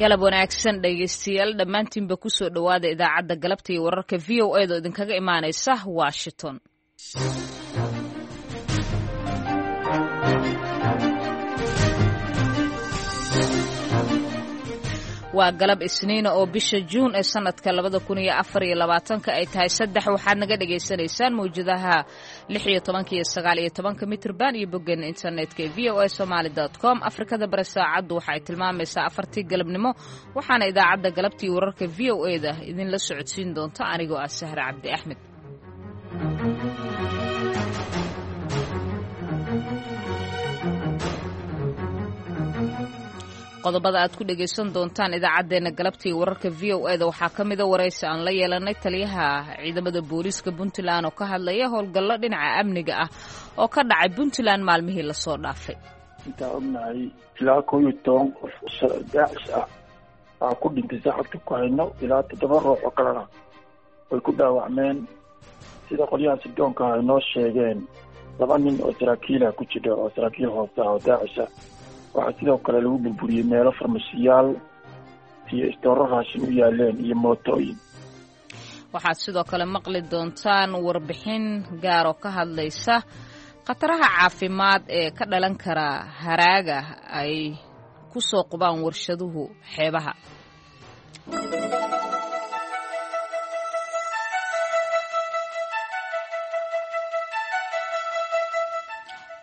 Galab wanaagsan, dhegaystayaal dhammaantiinba. Kusoo dhowaada idaacadda galabta iyo wararka VOA da oo idinkaga imaanaysa Washington. Waa galab Isniina oo bisha Juun ee sanadka 2024-ka ay tahay 3. Waxaad naga dhagaysanaysaan mawjadaha 16-ka iyo 19-ka mitrban iyo boggeena internetka ee voasomali.com. Afrikada Bare saacaddu waxa ay tilmaamaysaa 4-tii galabnimo, waxaana idaacadda galabta iyo wararka VOA da idinla socodsiin doonta anigoo ah Sahre Cabdi Axmed. Qodobada aad ku dhegaysan doontaan idaacaddeenna galabta iyo wararka VOA da waxaa ka mida waraysi aan la yeelanay taliyaha ciidamada booliiska Puntland oo ka hadlaya howlgallo dhinaca amniga ah oo ka dhacay Puntland maalmihii lasoo dhaafay. Intaan ognahay, ilaa 11 qof Daacish ah aa ku dhintay saacadka ku hayno, ilaa toddoba ruux oo kalena way ku dhaawacmeen. Sida qolyaha sirdoonka ay noo sheegeen, laba nin oo saraakiilah ku jira, oo saraakiil hoose ah oo Daacish ah. Waxaa sidoo kale lagu burburiyey meelo farmashiyaal iyo istooro raashin u yaaleen iyo mootooyin. Waxaad sidoo kale maqli doontaan warbixin gaar oo ka hadlaysa khataraha caafimaad ee ka dhalan kara haraaga ay ku soo qubaan warshaduhu xeebaha.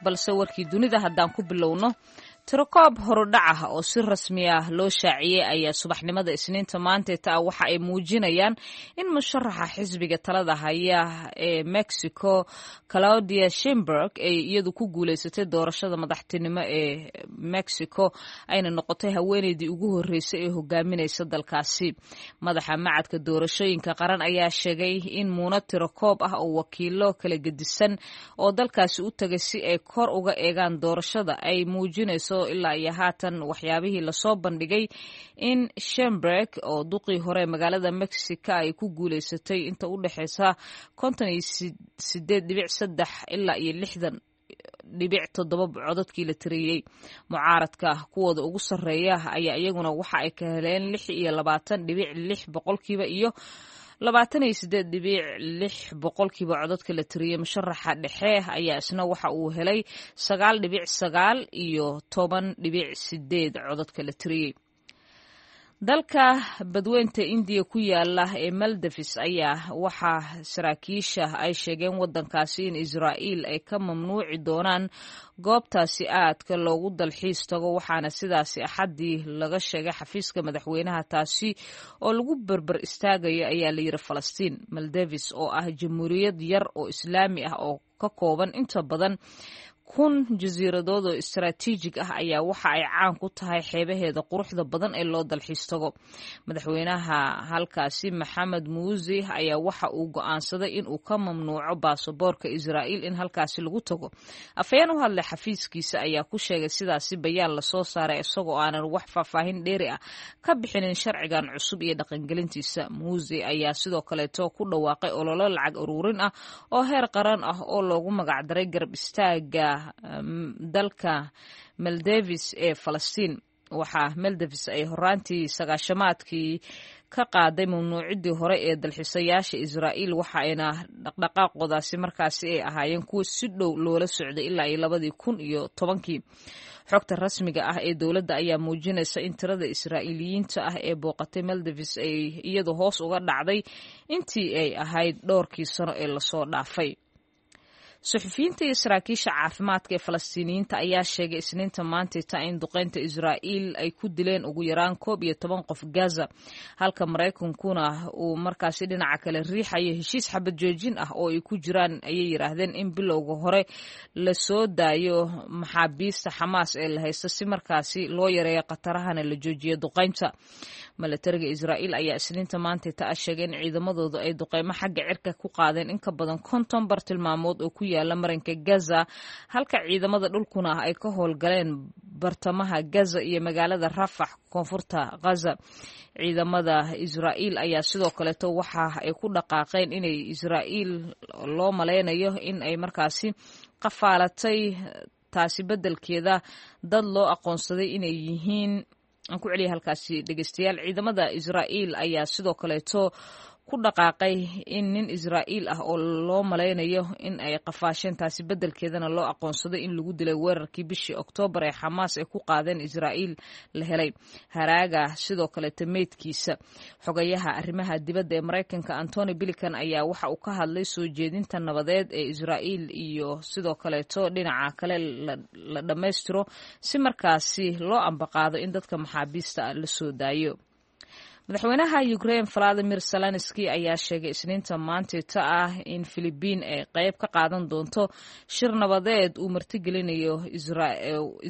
Balse warkii dunida haddaan ku bilowno, tirokoob horudhac ah oo si rasmi ah loo shaaciyey ayaa subaxnimada Isniinta maanteeta ah waxa ay muujinayaan in musharaxa xisbiga talada haya ee Mexico, Claudia Sheinbaum, ay iyadu ku guuleysatay doorashada madaxtinimo ee Mexico, ayna noqotay haweeneydii ugu horreysay ee hogaaminaysa dalkaasi. Madaxa macadka doorashooyinka qaran ayaa sheegay in muuna tirokoob ah oo wakiilo kala gedisan oo dalkaasi u tagay si ay kor uga eegaan doorashada ay muujinayso ilaa iyo haatan waxyaabihii lasoo bandhigay in Sheinbaum oo duqii hore magaalada Mexico ay ku guuleysatay inta u dhexeysa 58.3 ilaa iyo 60.7 codadkii la tiriyey. Mucaaradka kuwooda ugu sarreeya ayaa iyaguna waxa ay ka heleen 26.6% iyo 28.6% codadka la tiriyey. Musharaxa dhexe ayaa isna waxa uu helay 9.9 iyo 10.8 codadka la tiriyey. Dalka badweynta Indiya ku yaala ee Maldives ayaa waxaa saraakiisha ay sheegeen wadankaasi in Israa'iil ay ka mamnuuci doonaan goobtaasi aadka loogu dalxiis tago, waxaana sidaasi Axaddii laga sheegay xafiiska madaxweynaha, taasi oo lagu berber istaagayo, ayaa layidhi, Falastiin. Maldives oo ah jamhuuriyad yar oo Islaami ah oo ka kooban inta badan 1000 jasiiradood oo istaraatiijig ah ayaa waxa ay caan ku tahay xeebaheeda quruxda badan ee loo dalxiis tago. Madaxweynaha halkaasi, Maxamed Muuse, ayaa waxa uu go'aansaday in uu ka mamnuuco baasaboorka Israa'iil in halkaasi lagu tago. Afhayeen u hadlay xafiiskiisa ayaa ku sheegay sidaasi bayaan lasoo saaray, isagoo aanan wax faahfaahin dheeri ah ka bixinin sharcigan cusub iyo dhaqangelintiisa. Muuse ayaa sidoo kaleeto ku dhawaaqay ololo lacag ururin ah oo heer qaran ah oo loogu magacdaray garab istaaga dalka Maldives ee Falastiin. Waxaa Maldives ay horaantii sagaashamaadkii ka qaaday mamnuucidii hore ee dalxiisayaasha Israa'iil, waxa ayna dhaqdhaqaaqoodaasi markaasi ay ahaayeen kuwa si dhow loola socday ilaa iyo 2010-kii. Xogta rasmiga ah ee dowladda ayaa muujinaysa in tirada Israa'iiliyiinta ah ee booqatay Maldives ay iyadu hoos uga dhacday intii ay ahayd dhowrkii sano ee lasoo dhaafay. Suxufiyiinta iyo saraakiisha caafimaadka ee Falastiiniyiinta ayaa sheegay Isniinta maantayta in duqeynta Israa'iil ay ku dileen ugu yaraan 11 qof Gaza, halka Maraykankuna uu markaasi dhinaca kale riixayo heshiis xabad joojin ah oo ay ku jiraan, ayay yidhaahdeen, in bilowga hore lasoo daayo maxaabiista Xamaas ee la haysto si markaasi loo yareeyo khatarahana la joojiyo duqeynta. Milatariga Israa'iil ayaa Isniinta maantayta ah sheegay in ciidamadoodu ay duqeymo xagga cirka ku qaadeen in ka badan 50 bartilmaamood oo ku yaala marinka Gaza, halka ciidamada dhulkuna ay ka howlgaleen bartamaha Gaza iyo magaalada Rafax, koonfurta Gaza. Ciidamada Israa'iil ayaa sidoo kaleeto waxa ay ku dhaqaaqeen inay Israa'iil loo malaynayo in ay markaasi qafaalatay, taasi beddelkeeda dad loo aqoonsaday inay yihiin Aan ku celiya halkaasi dhegeystayaal. Ciidamada Israa'iil ayaa sidoo kaleeto ku dhaqaaqay in nin Israa'iil ah oo loo malaynayo in ay qafaasheen, taasi beddelkeedana loo aqoonsaday in lagu dilay weerarkii bishii Oktoobar ee Xamaas ay ku qaadeen Israa'iil la helay haraaga sidoo kaleeto meydkiisa. Xogayaha arrimaha dibadda ee Maraykanka Antony Blinken ayaa waxa uu ka hadlay soo jeedinta nabadeed ee Israa'iil iyo sidoo kaleeto dhinaca kale la dhammaystiro si markaasi loo ambaqaado in dadka maxaabiista ah la soo daayo. Madaxweynaha Ukraine Valadimir Zelenski ayaa sheegay Isniinta maantita ah in Filibiin ay qayb ka qaadan doonto shir nabadeed uu martigelinayo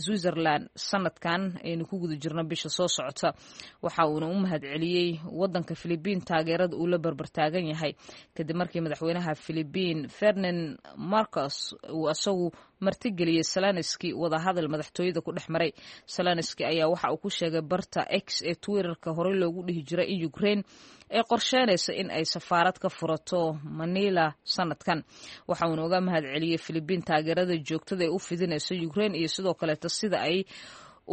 Switzerland sanadkan aynu ku guda jirno bisha soo socota. Waxa uuna u mahadceliyey wadanka Filibiin taageerada uu la barbartaagan yahay kadib markii madaxweynaha Filibiin Ferdinand Marcos uu isagu martigeliyey Zelenski wadahadal madaxtooyada ku dhex maray. Zelenski ayaa waxa uu ku sheegay barta X ee Twitterka horey loogu dhihi jiray in Ukraine ay qorsheynayso in ay safaarad ka furato Manila sanadkan. Waxa uuna uga mahadceliyey Filibiin taageerada joogtada ee u fidinayso Ukraine iyo sidoo kaleeto sida ay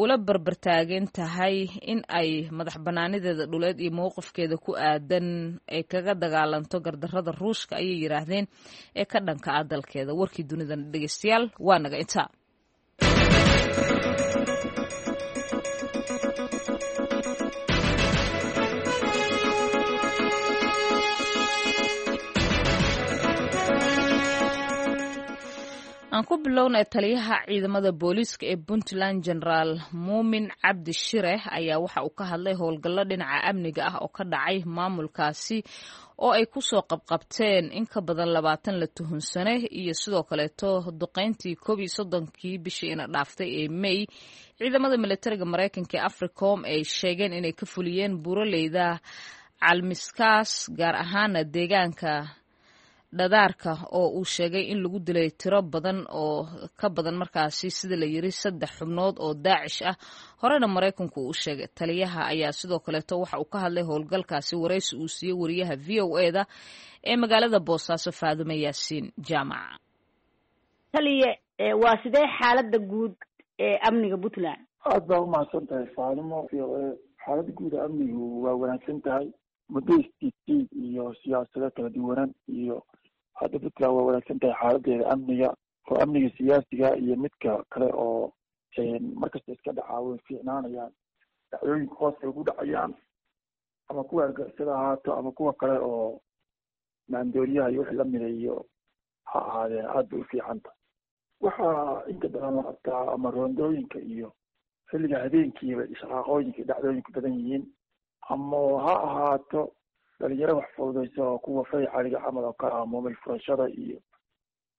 ula barbartaagan tahay in ay madax banaanideeda dhuleed iyo mowqifkeeda ku aadan ay kaga dagaalanto gardarrada Ruushka, ayay yidhaahdeen, ee ka dhanka ah dalkeeda. Warkii dunidan dhegeystayaal waa naga intaa. Aan ku bilownay taliyaha ciidamada booliiska ee Puntland, Generaal Muumin Cabdi Shire, ayaa waxa uu ka hadlay howlgallo dhinaca amniga ah oo ka dhacay maamulkaasi oo ay kusoo qabqabteen in ka badan 20 la tuhunsane, iyo sidoo kaleeto duqeyntii 31-kii bishii ina dhaaftay ee May ciidamada militariga Maraykanka ee Africom ay sheegeen inay ka fuliyeen buuraleyda Calmiskaas, gaar ahaana deegaanka Dhadaarka, oo uu sheegay in lagu dilay tiro badan oo ka badan markaasi sida la yiri 3 xubnood oo Daacish ah, horena Maraykanku uu sheegay. Taliyaha ayaa sidoo kaleeto waxa uu ka hadlay howlgalkaasi waraysi uu siiyey wariyaha VOA-da ee magaalada Boosaaso, Faadume Yaasiin Jaamac. Taliye, waa sidee xaaladda guud ee amniga Puntland? Aada baa umahadsan tahay Faadumo. VOA, xaaladda guud ee amnigu waa wanaagsan tahay. Muddo isjiidjiid iyo siyaasado kala duwanaan iyo hadda Puntland waa wanaagsan tahay xaaladeeda amniga, oo amniga siyaasiga iyo midka kale oo markasta iska dhacaa way fiicnaanayaan. Dhacdooyinka hoos bay ugu dhacayaan, ama kuwa argixisada ahaato ama kuwa kale oo maandooriyaha iyo wixii lamida iyo ha ahaadeen, aada bay u fiican tahay. Waxaa inta badan la qabtaa ama roondooyinka iyo xilliga habeenkiiba ishaqaaqooyinka iyo dhacdooyinku badan yihiin, ama ha ahaato dhalinyaro wax fududaysa oo kuwa faycaliga camal oo kale ah, moomil furashada iyo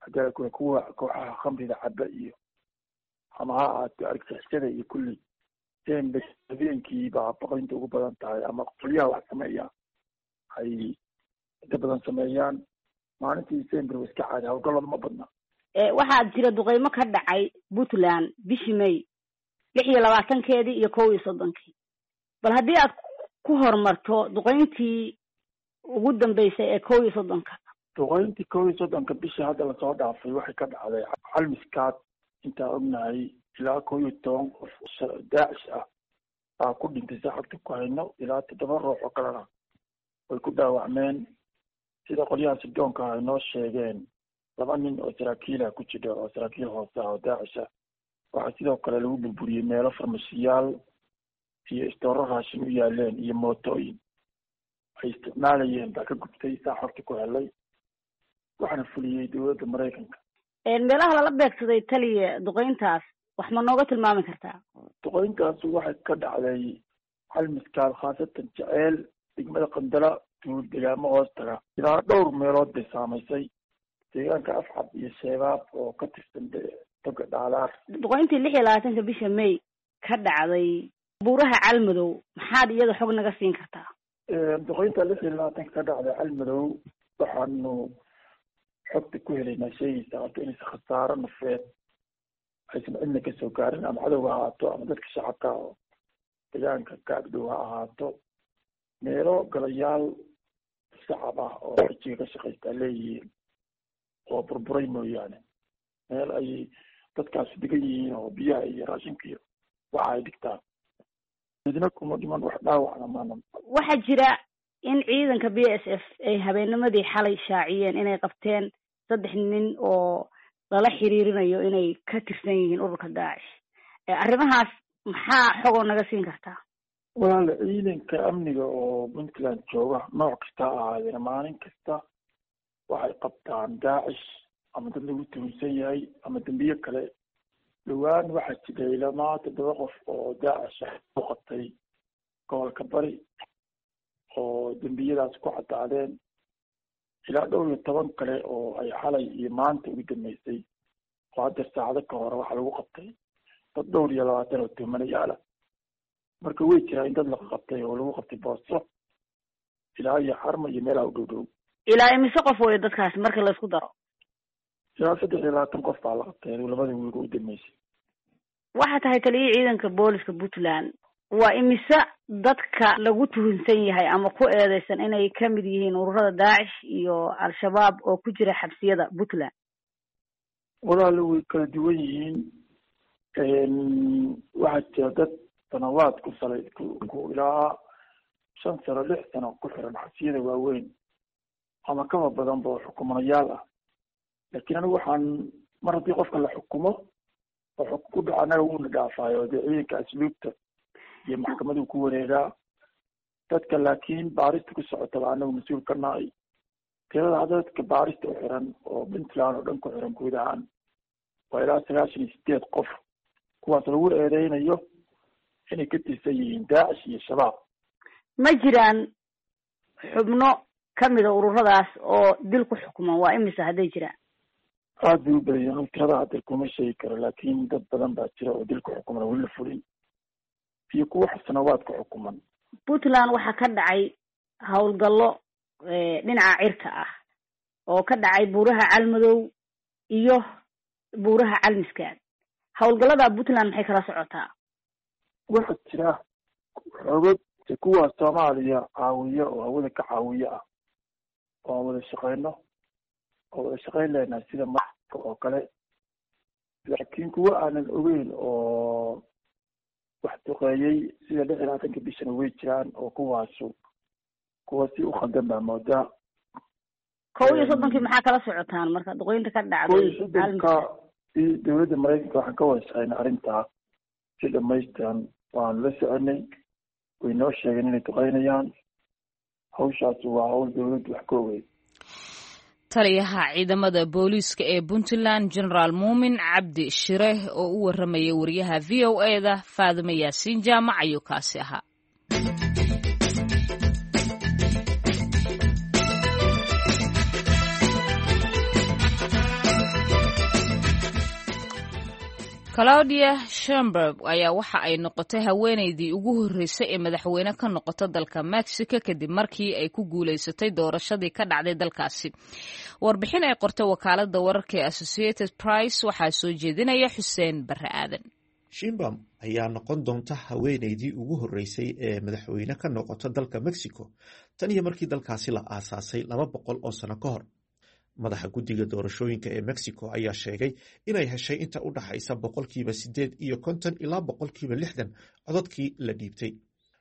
hadii kuwa kooxaha khamrida caba iyo ama ha ahaato argixisada iyo kulli sembe habeenkii baa baqdinta ugu badan tahay, ama qolyaha wax sameeya ay inta badan sameeyaan. Maalintii sember wa iska caadi, howlgallada ma badna. Waxaa jira duqeymo ka dhacay Puntland bishii May 26-keedii iyo 31-kii. Bal haddii aad ku horumarto duqeyntii ugu dambeysay ee 31-ka. Duqeyntii 31-ka bishii hadda lasoo dhaafay waxay ka dhacday Calmiskaad. Intaan ognahay ilaa 11 qof Daacish ah baa ku dhintay saacadka ku hayno, ilaa 7 ruux oo kalena way ku dhaawacmeen. Sida qolyaha sirdoonka ay noo sheegeen, 2 nin oo saraakiilah ku jira oo saraakiil hoose ah oo Daacish ah. Waxaa sidoo kale lagu burburiyey meelo farmashiyaal iyo istooro raashin u yaaleen iyo mootooyin ay isticmaalayeen baa ka gubtay, saa xogta ku helay, waxaana fuliyey dowladda Maraykanka. Meelaha lala beegsaday taliya duqeyntaas wax ma nooga tilmaami kartaa? Duqeyntaas waxay ka dhacday Calmiskaal, khaasatan Jeceel, degmada Qandala, tuul degaamo hoos taga. Ilaa dhowr meelood bay saamaysay, deegaanka Afcab iyo Sheebaab oo ka tirsan toga Dhaalaar. Duqeyntii 26-ka bisha May ka dhacday buuraha Calmadow maxaad iyada xog naga siin kartaa? Duqeynta 26-ka ka dhacday Calmadow waxaanu xogta ku helaynaa sheegaysaa horta inaysan khasaaro nafeed aysan cidna kasoo gaarin, ama cadowga ha ahaato ama dadka shacabka oo deegaanka ka agdhow ha ahaato. Meelo galayaal shacab ah oo xijiga ka shaqaystaa leeyihiin oo burburay mooyaane, meel ay dadkaasi degan yihiin oo biyaha iyo raashinka iyo waxa ay dhigtaan Midna kuma dhiman, wax dhaawacna maana. Waxaa jira in ciidanka BSF ay habeennimadii xalay shaaciyeen inay qabteen 3 nin oo lala xiriirinayo inay ka tirsan yihiin ururka Daacish. Arrimahaas maxaa xogoo naga siin kartaa? Walaal, ciidanka amniga oo Puntland jooga nooc kasta ha ahaadeen, maalin kasta waxay qabtaan Daacish ama dad lagu tuhunsan yahay ama dembiye kale. Dhowaan waxaa jiray ilamaa 7 qof oo Daacish ah u qabtay gobolka Bari oo dembiyadaas ku caddaadeen, ilaa dhowr iyo toban kale oo ay xalay iyo maanta ugu dambeysay oo hadda saacado ka hore waxaa lagu qabtay dad dhowr iyo labaatan oo tuhmanayaala. Marka way jiraa in dad la qabtay oo lagu qabtay Booso ilaa iyo Xarma iyo meelaha u dhow dhow. Ilaa imise qof weyo dadkaasi marka la isku daro? Ilaa 23 qof baa la qabtay labada wiil u dambeysay. Waxaa tahay taliya ciidanka booliska Puntland, waa imise dadka lagu tuhunsan yahay ama ku eedeysan inay kamid yihiin ururada Daacish iyo Al-Shabaab oo ku jira xabsiyada Puntland? Walaal, way kala duwan yihiin. Waxaa jira dad sanawaad ku salay ku ilaa 5 sano 6 sano ku xiran xabsiyada waaweyn ama kaba badanba oo xukumanayaal ah. Laakiin anigu waxaan mar haddii qofka la xukumo oo xukun ku dhaco, anaga wuuna dhaafaayo, dee ciidanka asluubta iyo maxkamaduu ku wareegaa dadka. Laakiin baarista ku socotaba anagu mas-uul ka nahay. Tirada hadda dadka baarista u xiran oo Puntland oo dhan ku xiran guud ahaan waa ilaa 98 qof, kuwaas lagu eedeynayo inay ka tirsan yihiin Daacish iyo Shabaab. Ma jiraan xubno kamida ururadaas oo dil ku xukuman? Waa imise hadday jiraan? Aada bay u badan yihiin, tirada hadda kuma sheegi karo, laakiin dad badan baa jira oo dil ku xukuman weli la fulin iyo kuwa xasanawaad ku xukuman. Puntland waxaa ka dhacay howlgallo dhinaca cirka ah oo ka dhacay buuraha Calmadow iyo buuraha Calmiskaad. Howlgallada Puntland maxay kala socotaa? Waxaa jira xoogag kuwa Soomaaliya caawiya oo hawada ka caawiya ah oo aan wada shaqeyno oo wada shaqeyn leenahay sida marka oo kale, laakiin kuwa aanan ogeyn oo wax duqeeyey sida 26-ka bishana way jiraan, oo kuwaasu kuwa si u khaldan baa moodaa. 31-kii maxaa kala socotaan marka duqeynta ka dhacday? 31-ka dowladda Maraykanka waxaan ka wada shaqeynay arrintaa si dhamaystiran, waanu la soconay, way noo sheegeen inay duqeynayaan. Hawshaasi waa hawl dowladdu wax ka ogeyd. Taliyaha ciidamada booliiska ee Puntland, Generaal Muumin Cabdi Shire, oo u waramayay wariyaha VOA-da Faadime Yaasiin Jaamac ayuu kaasi ahaa. Claudia Sheinbaum ayaa waxa ay noqotay haweeneydii ugu horreysay ee madaxweyne ka noqota dalka Mexico kadib markii ay ku guuleysatay doorashadii ka dhacday dalkaasi. Warbixin ay qortay wakaaladda wararka ee Associated Press waxaa soo jeedinaya Xuseen Barre Aadan. Sheinbaum ayaa noqon doonta haweeneydii ugu horreysay ee madaxweyne ka noqota dalka Mexico tan iyo markii dalkaasi la aasaasay 200 oo sano ka hor. Madaxa guddiga doorashooyinka ee Mexico ayaa sheegay inay heshay inta u dhaxaysa 58% ilaa 60% codadkii la dhiibtay.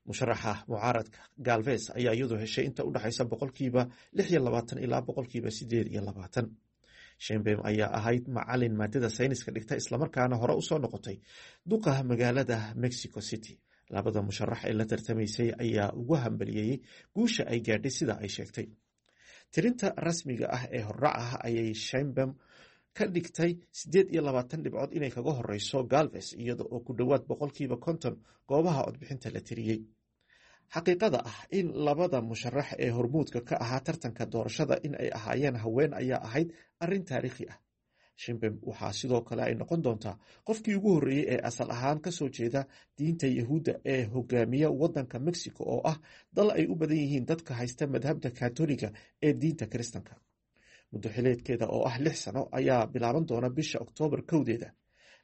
Musharaxa mucaaradka Galvez ayaa iyadu heshay inta u dhaxaysa 26% ilaa 28%. Sheinbaum ayaa ahayd macalin maadada sayniska dhigta, islamarkaana hore usoo noqotay duqa magaalada Mexico City. Labada musharax ee la tartamaysay ayaa ugu hambaliyeeyey guusha ay gaadhay sida ay sheegtay. Tirinta rasmiga ah ee horrac ah ayay Sheinbaum ka dhigtay 28 dhibcood inay kaga horeyso Galvez, iyada oo ku dhowaad 50% goobaha codbixinta la tiriyey. Xaqiiqada ah in labada musharax ee hormuudka ka ahaa tartanka doorashada in ay ahaayeen haween ayaa ahayd arrin taariikhi ah. Sheinbaum waxaa sidoo kale ay noqon doontaa qofkii ugu horreeyey ee asal ahaan kasoo jeeda diinta Yahuudda ee hogaamiya waddanka Mexico oo ah dal ay u badan yihiin dadka haysta madhabda Katoliga ee diinta Kiristanka. Muddo xileedkeeda oo ah 6 sano ayaa bilaaban doona bisha Oktoobar 1-deeda.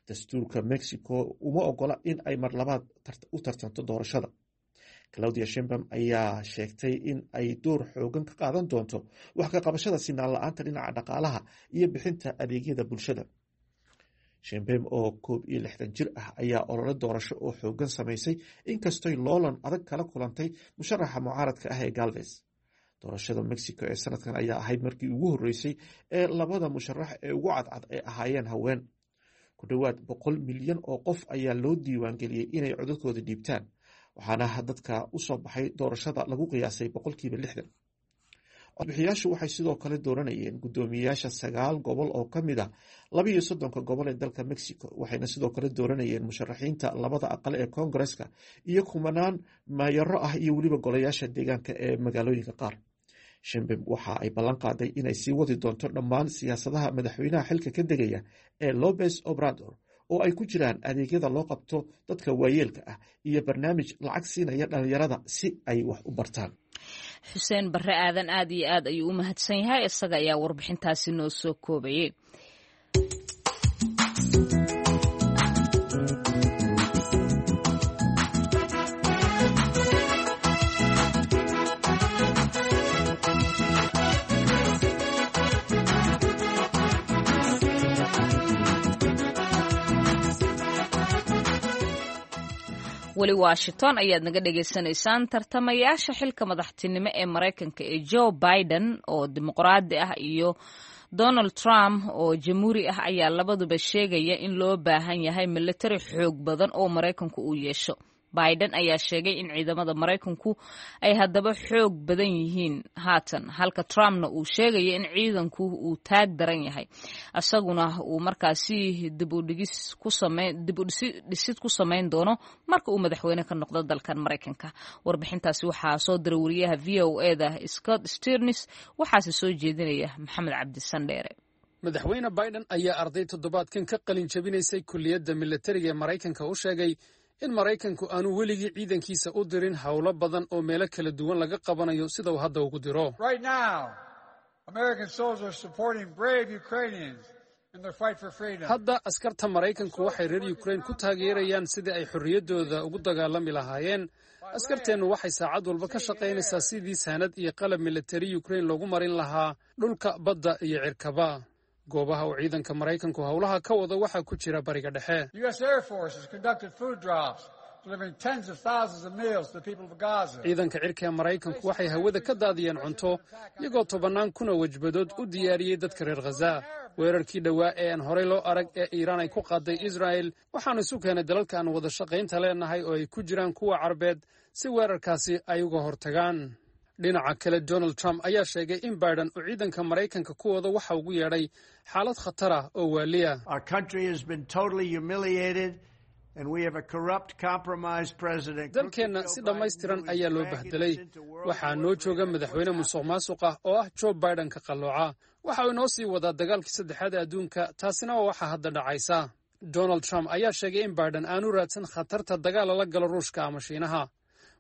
Dastuurka Mexico uma ogola in ay mar labaad u tartanto doorashada. Claudia Sheinbaum ayaa sheegtay in ay door xoogan ka qaadan doonto wax ka qabashada sinaan la-aanta dhinaca dhaqaalaha iyo bixinta adeegyada bulshada. Sheinbaum oo 61 jir ah ayaa olole doorasho oo xoogan samaysay, inkastoy loolan adag kala kulantay musharaxa mucaaradka ah ee Galvez. Doorashada Mexico ee sanadkan ayaa ahayd markii ugu horreysay ee labada musharax ee ugu cadcad ay ahaayeen haween. Ku dhowaad 100 milyan oo qof ayaa loo diiwaangeliyey inay codadkooda dhiibtaan, waxaana dadka usoo baxay doorashada lagu qiyaasay 60%. Codbixiyaashu waxay sidoo kale dooranayeen guddoomiyeyaasha sagaal gobol oo ka mid ah 32-ka gobol ee dalka Mexico, waxayna sidoo kale dooranayeen musharaxiinta labada aqal ee Koongareska iyo kumanaan maayaro ah iyo weliba golayaasha deegaanka ee magaalooyinka qaar. Sheinbaum waxa ay ballan qaaday inay sii wadi doonto dhammaan siyaasadaha madaxweynaha xilka ka degaya ee Lopez Obrador, oo ay ku jiraan adeegyada loo qabto dadka waayeelka ah iyo barnaamij lacag siinaya dhalinyarada si ay wax u bartaan. Xuseen Barre Aadan aad iyo aad ayuu u mahadsan yahay, isaga ayaa warbixintaasi noo soo koobayay. Weli Washington ayaad naga dhagaysanaysaan. Tartamayaasha xilka madaxtinimo ee Maraykanka ee Joe Biden oo dimuqraadi ah iyo Donald Trump oo jamhuuri ah ayaa labaduba sheegaya in loo baahan yahay militari xoog badan oo Maraykanku uu yeesho. Biden ayaa sheegay in ciidamada Maraykanku ay haddaba xoog badan yihiin haatan, halka Trumpna uu sheegaya in ciidanku uu taag daran yahay, isaguna uu markaasi dib u dhisid ku samayn doono marka uu madaxweyne ka noqdo dalkan Maraykanka. Warbixintaasi waxaa soo diray wariyaha VOA-da Scott Stearns, waxaase soo jeedinaya Maxamed Cabdi Sandheere. Madaxweyne Biden ayaa arday toddobaadkan ka qalin jabinaysay kulliyadda militariga ee Maraykanka u sheegay in Maraykanku aanu weligii ciidankiisa u dirin howlo badan oo meelo kala duwan laga qabanayo sida uu hadda ugu diro. Hadda askarta Maraykanku waxay reer Yukrain ku taageerayaan sidii ay xorriyaddooda ugu dagaalami lahaayeen. Askarteennu waxay saacad walba ka shaqaynaysaa sidii saanad iyo qalab militari Yukrain loogu marin lahaa dhulka, badda iyo cirkaba. Goobaha uu ciidanka Maraykanku howlaha ka wado waxaa ku jira Bariga Dhexe. Ciidanka cirka ee Maraykanku waxay hawada ka daadiyeen cunto, iyagoo tobannaan kuna wajbadood u diyaariyey dadka reer Khaza. Weerarkii dhowaa ee aan horey loo arag ee Iiraan ay ku qaaday Israa'el, waxaanu isu keenay dalalka aan wada shaqaynta leenahay oo ay ku jiraan kuwa Carbeed si weerarkaasi ay uga hortagaan. Dhinaca kale, Donald Trump ayaa sheegay in Biden uu ciidanka Maraykanka ku wado waxa ugu yeedhay xaalad khatar ah oo waaliya. Dalkeenna si dhammaystiran ayaa loo bahdelay. Waxaa noo jooga madaxweyne musuq maasuq ah oo ah Joe Biden ka qallooca. Waxa uu inoo sii wadaa dagaalkii saddexaad ee adduunka, taasina waa waxa hadda dhacaysa. Donald Trump ayaa sheegay in Biden aanu raadsan khatarta dagaal lala galo Ruushka ama Shiinaha.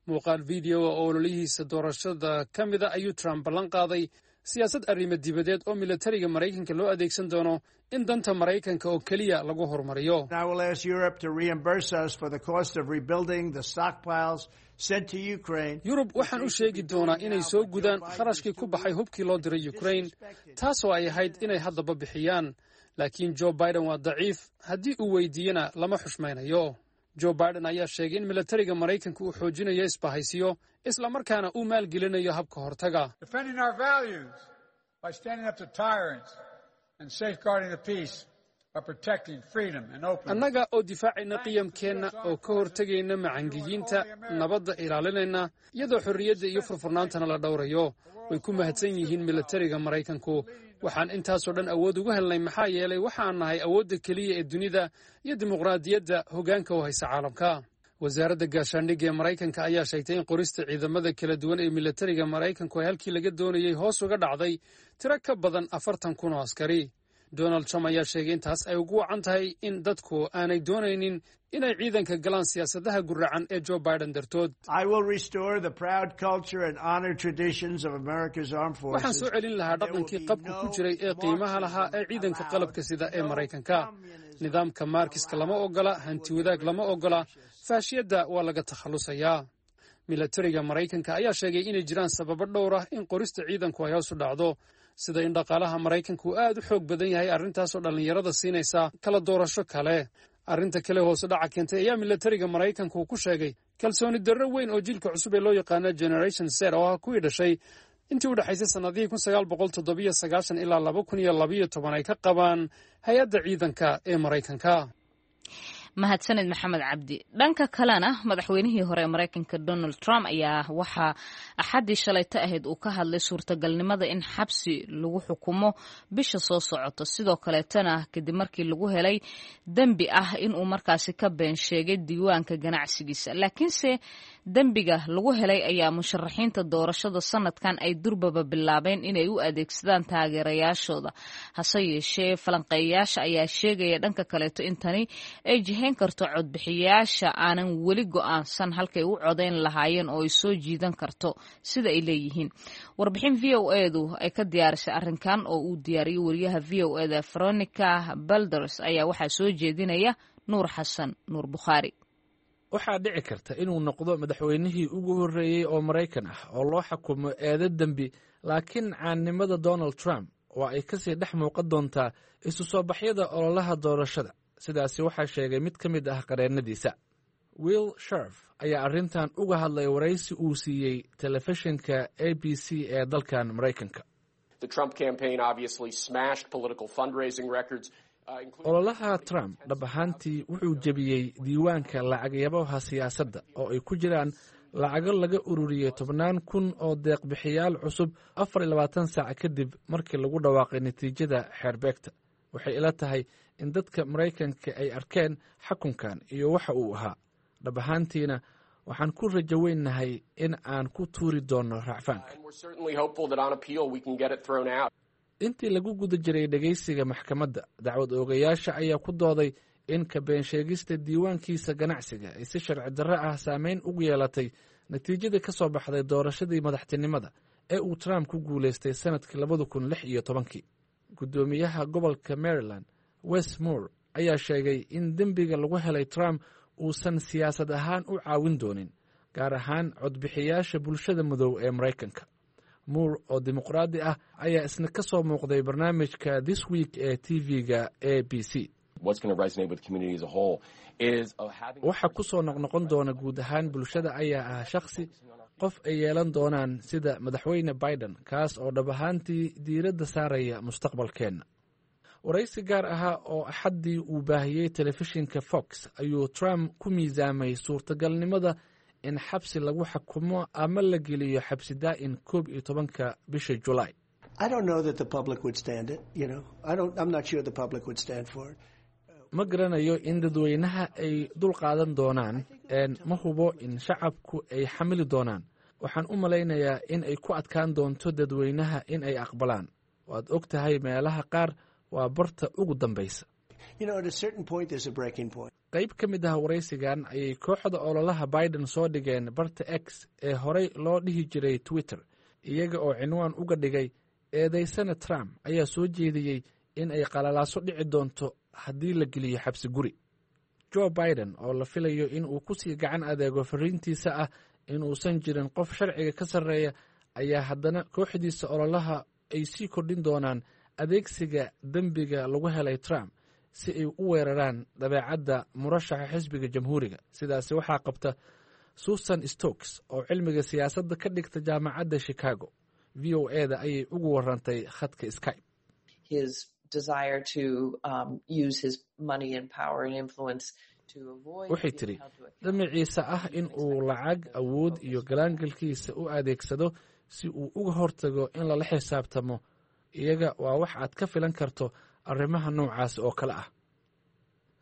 Muuqaal videoa oo ololihiisa doorashada ka mida ayuu Trump ballan qaaday siyaasad arrimo dibadeed oo militariga Maraykanka loo adeegsan doono in danta Maraykanka oo keliya lagu horumariyo. Yurub waxaan u sheegi doonaa inay soo gudaan kharashkii ku baxay hubkii loo diray Ukrain, taasoo ay ahayd inay haddaba bixiyaan, laakiin Joe Biden waa daciif, haddii uu weydiiyena lama xushmaynayo. Joe Biden ayaa sheegay in militariga Maraykanka uu xoojinayo isbahaysiyo, islamarkaana uu maalgelinayo habka hortaga. Annaga oo difaacayna qiyamkeenna oo ka hortegayna macangiyiinta, nabadda ilaalinayna, iyadoo xorriyadda iyo furfurnaantana la dhowrayo. Way ku mahadsan yihiin militariga Maraykanku. Waxaan intaasoo dhan awood ugu helnay maxaa yeelay waxaan nahay awoodda keliya ee dunida iyo dimuqraadiyadda hoggaanka u haysa caalamka. Wasaaradda gaashaandhigga ee Maraykanka ayaa sheegtay in qorista ciidamada kala duwan ee militariga Maraykanku ay halkii laga doonayey hoos uga dhacday tiro ka badan 40,000 oo askari. Donald Trump ayaa sheegay in taas ay ugu wacan tahay in dadku aanay doonaynin inay ciidanka galaan siyaasadaha guracan ee Joe Biden dartood. Waxaan soo celin lahaa dhaqankii qabka ku jiray ee qiimaha lahaa ee ciidanka qalabka sida ee Maraykanka. Nidaamka Markiska lama ogola, hanti wadaag lama ogola, faashiyadda waa laga takhallusayaa. Milatariga Maraykanka ayaa sheegay inay jiraan sababo dhowr ah in qorista ciidanku ay hoos u dhacdo, Sida in dhaqaalaha Maraykanka uu aad u xoog badan yahay, arrintaasoo dhallinyarada siinaysa kala doorasho kale. Arrinta kale hoose dhaca keentay ayaa milatariga Maraykanka uu ku sheegay kalsooni darro weyn oo jiilka cusub ee loo yaqaano Generation Z, oo ah kuwii dhashay intii u dhexaysay sannadihii 1997 ilaa 2012, ay ka qabaan hay-adda ciidanka ee Maraykanka. Mahadsaned, Maxamed Cabdi. Dhanka kalena, madaxweynihii hore ee Maraykanka Donald Trump ayaa waxaa Axaddii shalayto ahayd uu ka hadlay suurtagalnimada in xabsi lagu xukumo bisha soo socota, sidoo kaleetana kadib markii lagu helay dembi ah inuu markaasi ka been sheegay diiwaanka ganacsigiisa. Laakiinse dembiga lagu helay ayaa musharaxiinta doorashada sanadkan ay durbaba bilaabeen inay u adeegsadaan taageerayaashooda. Hase yeeshee, falanqeeyayaasha ayaa sheegaya dhanka kaleeto in tani ay jihayn karto codbixiyaasha aanan weli go'aansan halkay u codayn lahaayeen oo ay soo jiidan karto, sida ay leeyihiin. Warbixin VOA-du ay ka diyaarisay arrinkan oo uu diyaariyey wariyaha VOA-da Veronica Balders ayaa waxaa soo jeedinaya Nuur Xasan Nuur Bukhaari. Waxaa dhici karta inuu noqdo madaxweynihii ugu horreeyey oo Maraykan ah oo loo xukumo eedo dembi, laakiin caannimada Donald Trump oo ay kasii dhex muuqan doontaa isu soo baxyada ololaha doorashada. Sidaasi waxaa sheegay mid ka mid ah qareennadiisa. Will Sherf ayaa arrintan uga hadlay waraysi uu siiyey telefishinka ABC ee dalkan Maraykanka. Ololaha Trump dhab ahaantii wuxuu jebiyey diiwaanka lacagyabaha siyaasadda, oo ay ku jiraan lacago laga ururiyey tobnaan kun oo deeqbixiyaal cusub 24 saac kadib markii lagu dhawaaqay natiijada xeerbeegta. Waxay ila tahay in dadka Maraykanka ay arkeen xakunkan iyo waxa uu ahaa. Dhab ahaantiina waxaan ku rajo weynnahay in aan ku tuuri doonno racfaanka. Intii lagu guda jiray dhegaysiga maxkamadda, dacwad oogayaasha ayaa ku dooday in ka beensheegista diiwaankiisa ganacsiga ay si sharci darro ah saameyn ugu yeelatay natiijadii ka soo baxday doorashadii madaxtinimada ee uu Trump ku guulaystay sannadkii 2016-kii. Guddoomiyaha gobolka Maryland Wes Moore ayaa sheegay in dembiga lagu helay Trump uusan siyaasad ahaan u caawin doonin, gaar ahaan codbixiyaasha bulshada madow ee Maraykanka. Moore oo dimuqraadi ah ayaa isna ka soo muuqday barnaamijka This Week ee TV-ga ABC. Waxa ku soo noqnoqon doona guud ahaan bulshada ayaa ah shakhsi qof ay yeelan doonaan sida Madaxweyne Biden, kaas oo dhab ahaantii diiradda saaraya mustaqbalkeenna. Waraysi gaar ahaa oo Axaddii uu baahiyey telefishinka Fox ayuu Trump ku miisaamay suurtagalnimada in xabsi lagu xakumo ama la geliyo xabsi daa'in 11-ka bisha Julaay. Ma garanayo in dadweynaha ay dul qaadan doonaan. Ma hubo in shacabku ay xamili doonaan. Waxaan u malaynayaa in ay ku adkaan doonto dadweynaha in ay aqbalaan. Waad og tahay, meelaha qaar waa barta ugu dambaysa. Qayb ka mid ah waraysigan ayay kooxda ololaha Biden soo dhigeen barta X ee horey loo dhihi jiray Twitter, iyaga oo cinwaan uga dhigay "Eedaysana Trump ayaa soo jeediyey in ay qalalaaso dhici doonto haddii la geliyo xabsi guri". Joe Biden oo la filayo in uu ku sii gacan adeego fariintiisa ah in uusan jirin qof sharciga ka sarreeya, ayaa haddana kooxdiisa ololaha ay sii kordhin doonaan adeegsiga dembiga lagu helay Trump si ay u weeraraan dabeecadda murashaxa xisbiga Jamhuuriga. Sidaasi waxaa qabta Susan Stokes oo cilmiga siyaasadda ka dhigta Jaamacadda Chicago. VOA-da ayay ugu warantay khadka Skype. Waxay tidhi, damaciisa ah in uu lacag, awood iyo galaangalkiisa u adeegsado si uu uga hortago in lala xisaabtamo iyaga waa wax aad ka filan karto arrimaha noocaas oo kale ah.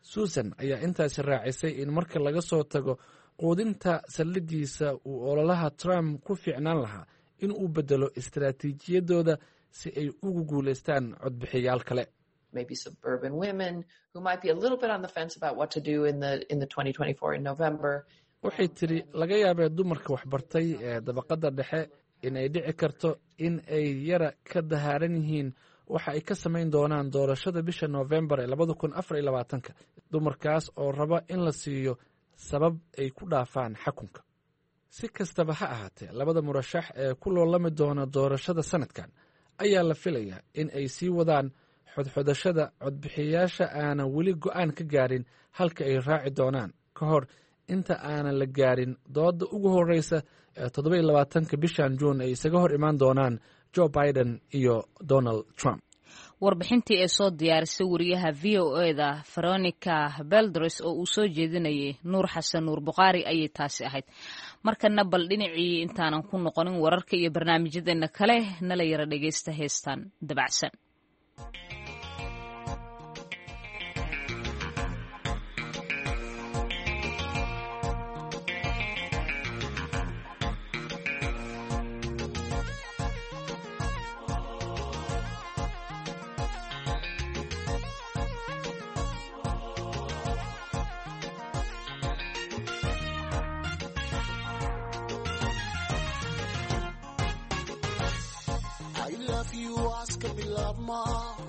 Susan ayaa intaasi raacisay in marka laga soo tago quudinta saldhiggiisa, uu ololaha Trump ku fiicnaan lahaa in uu beddelo istaraatiijiyadooda si ay ugu guulaystaan codbixiyaal kale. Maybe suburban women who might be a little bit on the fence about what to do in the 2024 in November. Waxay tidhi, laga yaabee dumarka waxbartay ee dabaqadda dhexe in ay dhici karto in ay yara ka dahaaran yihiin waxa ay ka samayn doonaan doorashada bisha Noofembar ee 2024-ka, dumarkaas oo raba in la siiyo sabab ay ku dhaafaan xakunka. Si kastaba ha ahaatee, labada murashax ee ku loolami doona doorashada sanadkan ayaa la filayaa in ay sii wadaan xodxodashada codbixiyayaasha aanan weli go'aan ka gaarin halka ay raaci doonaan ka hor inta aanan la gaarin doodda ugu horreysa ee 27-ka bishan juun ay isaga hor imaan doonaan Joe Biden iyo Donald Trump. Warbixintii ee soo diyaarisay wariyaha VOA-da Veronica Beldres oo uu soo jeedinayay Nuur Xasan Nuur Bukhaari ayay taasi ahayd. Markana bal dhinacii intaanan ku noqonin wararka iyo barnaamijyadeena kale, nala yara dhegeysta heestan dabacsan.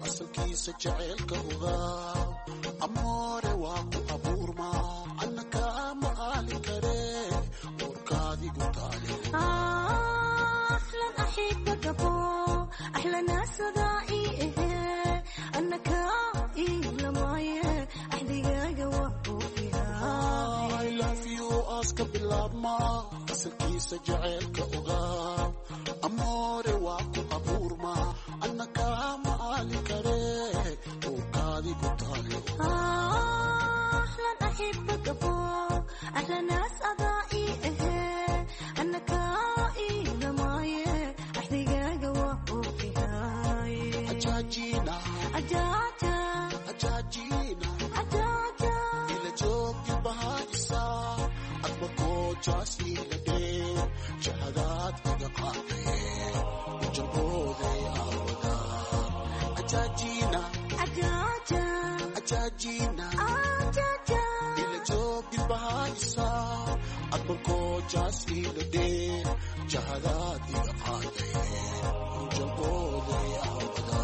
Asalkiisa jaceylka ogaa amoore waa ku abuurma anna kaama aali kare uurkaadigu taale. Aska bilaabma asalkiisa jaceylka ogaa amoore waa ku abuurma anna kaama aali kare uurkaadigu taale. Ajaajina ajaajina ila joogti bahaisa admakoojaas iladhee jahadaad iga qaadee ujalbooday aawada. Ajaajina ajaajina ila joogti bahaisa admakoojaas iladhee jahadaad iga qaadee ujalbooday aawada.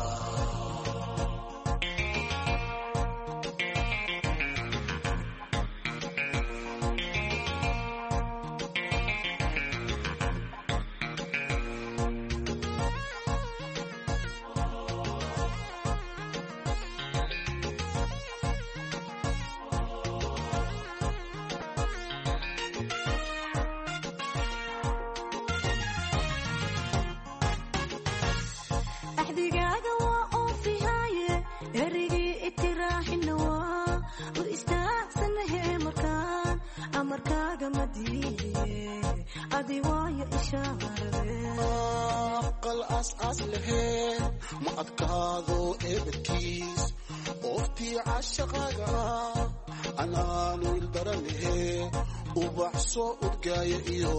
Aqal aas-aas lahee ma adkaado eebadkiis ooftii cashaqaaga anaanu ildaranahee ubax soo udgaaya iyo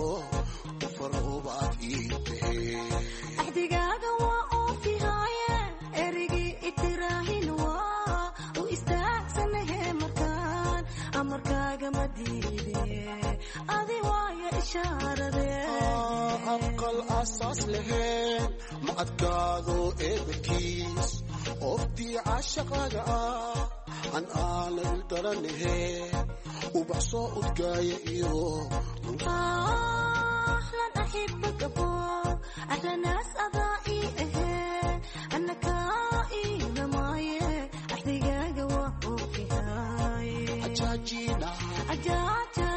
ufaroobaad ii tahee. Axdigaaga waa oofihaaye erigii itiraahin waa u istaagsanahe markaan amarkaaga ma diide adi waayo ishaarade. Aqal aasaas laheen ma adkaado eebadkiis ooftii cashaqaaga ah an aana ildaranahee ubax soo udgaaya iyo أحلى أحبك أبو أحلى ناس أضائي إيه أنا كائي لماي أحدقاق وفي هاي. Ajaajina أجاجا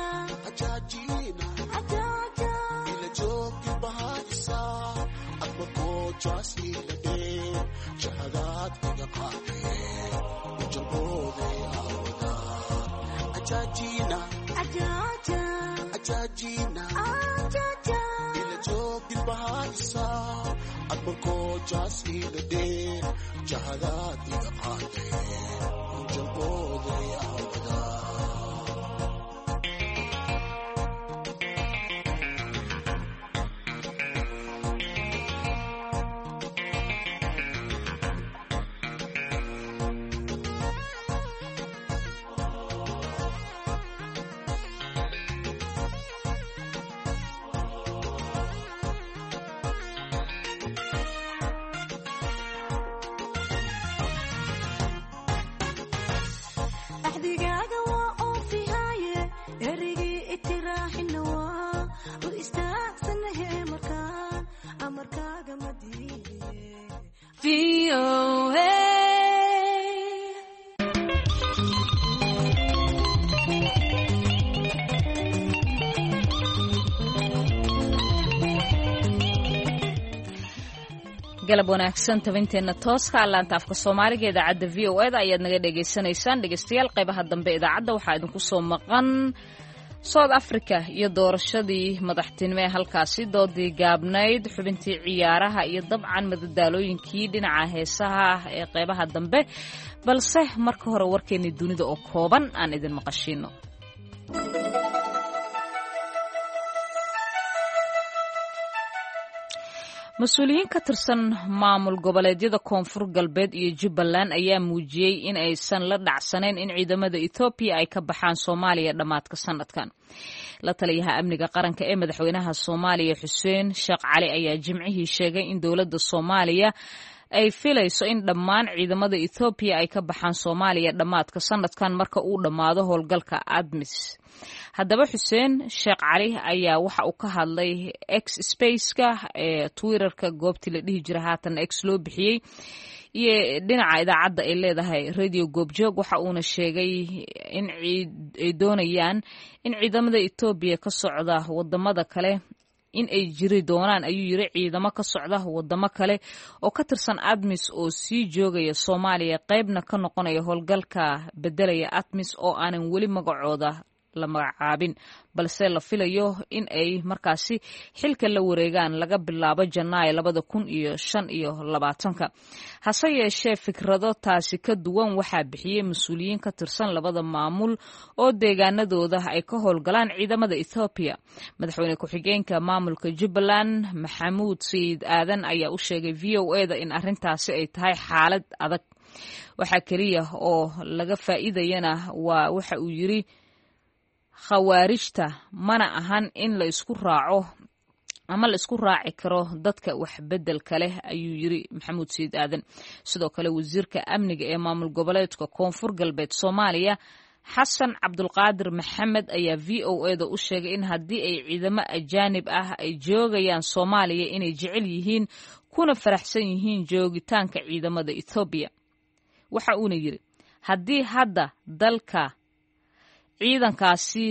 ajaajina أجاجا ila joogti bahaisa admakoojaas iladhee jahadaad iga qaadee ujalbooday aawada. Ajaajina أجاجا ajaajina أجاجا ila joogti bahaisa admakoojaas iladhee jahadaad iga qaadee ujalbooday aawada. أحدقاق. Galab wanaagsan, tabinteenna tooska laanta afka Soomaaliga idaacadda VOA da ayaad naga dhegaysanaysaan. Dhegaystayaal, qaybaha dambe idaacadda waxaa idinku soo maqan South Africa iyo doorashadii madaxtinimo ee halkaasi, doodii gaabnayd, xubintii ciyaaraha iyo dabcan madadaalooyinkii dhinaca heesaha ee qaybaha dambe. Balse marka hore warkeennii dunida oo kooban aan idin maqashiino. Mas-uuliyiin ka tirsan maamul goboleedyada Koonfur Galbeed iyo Jubbaland ayaa muujiyey in aysan la dhacsanayn in ciidamada Ethoobiya ay ka baxaan Soomaaliya dhammaadka sanadkan. La taliyaha amniga qaranka ee madaxweynaha Soomaaliya, Xuseen Sheekh Cali, ayaa Jimcihii sheegay in dowladda Soomaaliya ay filayso in dhammaan ciidamada Ethoobiya ay ka baxaan Soomaaliya dhammaadka sanadkan, marka uu dhammaado howlgalka ADMIS. Haddaba Xuseen Sheekh Cali ayaa waxa uu ka hadlay X Spaceka ee Twitterka goobtii la dhihi jira, haatan X loo bixiyey, iyo dhinaca idaacadda ay leedahay Radio Goobjoog. Waxa uuna sheegay in ay doonayaan in ciidamada Etoobiya ka socda wadamada kale in ay jiri doonaan, ayuu yiri, ciidamo ka socda wadamo kale oo ka tirsan ADMIS oo sii joogaya Soomaaliya, qaybna ka noqonaya howlgalka bedelaya ADMIS oo aanan weli magacooda la magacaabin, balse la filayo in ay markaasi xilka la wareegaan laga bilaabo Janaayo 2025-ka. Hase yeeshee fikrado taasi ka duwan waxaa bixiyey mas-uuliyiin ka tirsan labada maamul oo deegaanadooda ay ka howlgalaan ciidamada Ethoobiya. Madaxweyne ku-xigeenka maamulka Jubbaland, Maxamuud Sayid Aadan, ayaa u sheegay VOA da in arrintaasi ay tahay xaalad adag, waxaa keliya oo laga faa'iidayana waa, waxa uu yiri, khawaarijta, mana ahan in la isku raaco ama la isku raaci karo dadka waxbedelka leh, ayuu yiri Maxamuud Sayid Aadan. Sidoo kale wasiirka amniga ee maamul goboleedka Koonfur Galbeed Soomaaliya, Xasan Cabdulqaadir Maxamed, ayaa VOA da u sheegay in haddii ay ciidamo ajaanib ah ay joogayaan Soomaaliya inay jecel yihiin kuna faraxsan yihiin joogitaanka ciidamada Ethoobiya. Waxa uuna yiri, haddii hadda dalka ciidankaasi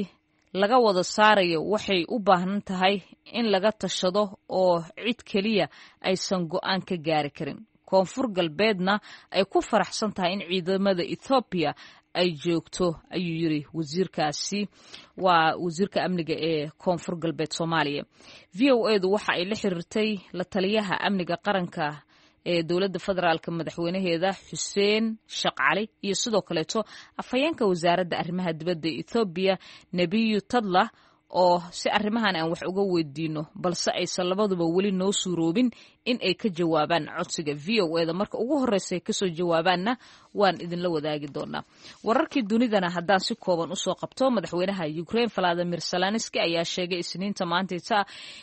laga wada saarayo, waxay u baahan tahay in laga tashado oo cid keliya aysan go'aan ka gaari karin, Koonfur Galbeedna ay ku faraxsan tahay in ciidamada Ethoobiya ay joogto, ayuu yiri wasiirkaasi. Waa wasiirka amniga ee Koonfur Galbeed Soomaaliya. VOA du waxa ay la xiriirtay la taliyaha amniga qaranka ee dowladda federaalka madaxweynaheeda, Xuseen Sheekh Cali, iyo sidoo kaleeto afhayeenka wasaaradda arrimaha dibadda Ethoobiya, Nebiyu Tadlah, oo si arrimahan aan wax uga weydiino, balse aysan labaduba weli noo suuroobin in ay ka jawaabaan codsiga VOA da. Marka ugu horreysa ay kasoo jawaabaanna waan idinla wadaagi doonaa. Wararkii dunidana haddaan si kooban usoo qabto, madaxweynaha Ukraine Valadimir Zelenski ayaa sheegay Isniinta maantayta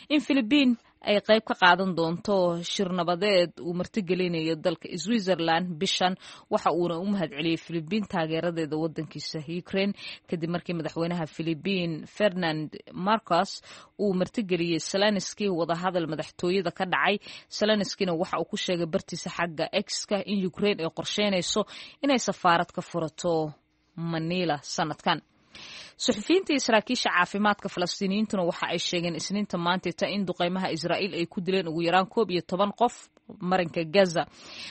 in Philibiin ay qayb ka qaadan doonto shir nabadeed uu martigelinayo dalka Switzerland bishan. Waxa uuna u mahadceliyey Philibiin taageeradeeda wadankiisa Ukraine, kadib markii madaxweynaha Philibiin Ferdinand Marcos uu martigeliyey Zelenski wadahadal madaxtooyada ka dhacay. Zelenskina waxa uu ku sheegay bartiisa xagga X-ka in Ukraine ay qorsheynayso inay safaarad ka furato Manila sanadkan. Suxufiyiinta iyo saraakiisha caafimaadka Falastiiniyiintuna waxa ay sheegeen Isniinta maantayta in duqeymaha Israa'iil ay ku dileen ugu yaraan 11 qof marinka Gaza.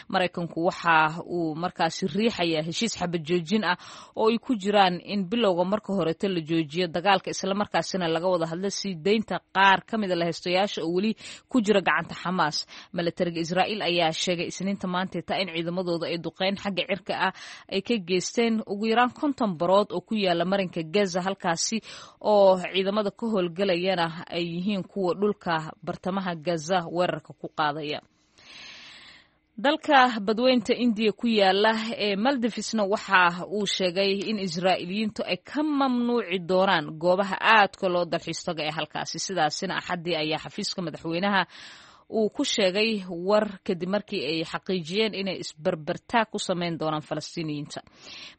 Maraykanku waxa uu markaasi riixaya heshiis xabad joojin ah oo ay ku jiraan in bilowga marka horeeto la joojiyo dagaalka, islamarkaasina laga wada hadlo sii deynta qaar ka mida lahaystayaasha oo weli ku jira gacanta Xamaas. Milatariga Israa'iil ayaa sheegay Isniinta maantayta in ciidamadooda ay duqeyn xagga cirka ah ay ka geysteen ugu yaraan 50 barood oo ku yaala marinka Gaza, halkaasi oo ciidamada ka howlgelayana ay yihiin kuwa dhulka bartamaha Gaza weerarka ku qaadaya. Dalka badweynta Indiya ku yaala ee Maldifisna waxa uu sheegay in Israa'iiliyiintu ay ka mamnuuci doonaan goobaha aadka loo dalxiis taga ee halkaasi. Sidaasina Axaddii ayaa xafiiska madaxweynaha uu ku sheegay war, kadib markii ay xaqiijiyeen inay isbarbartaag ku sameyn doonaan Falastiiniyiinta.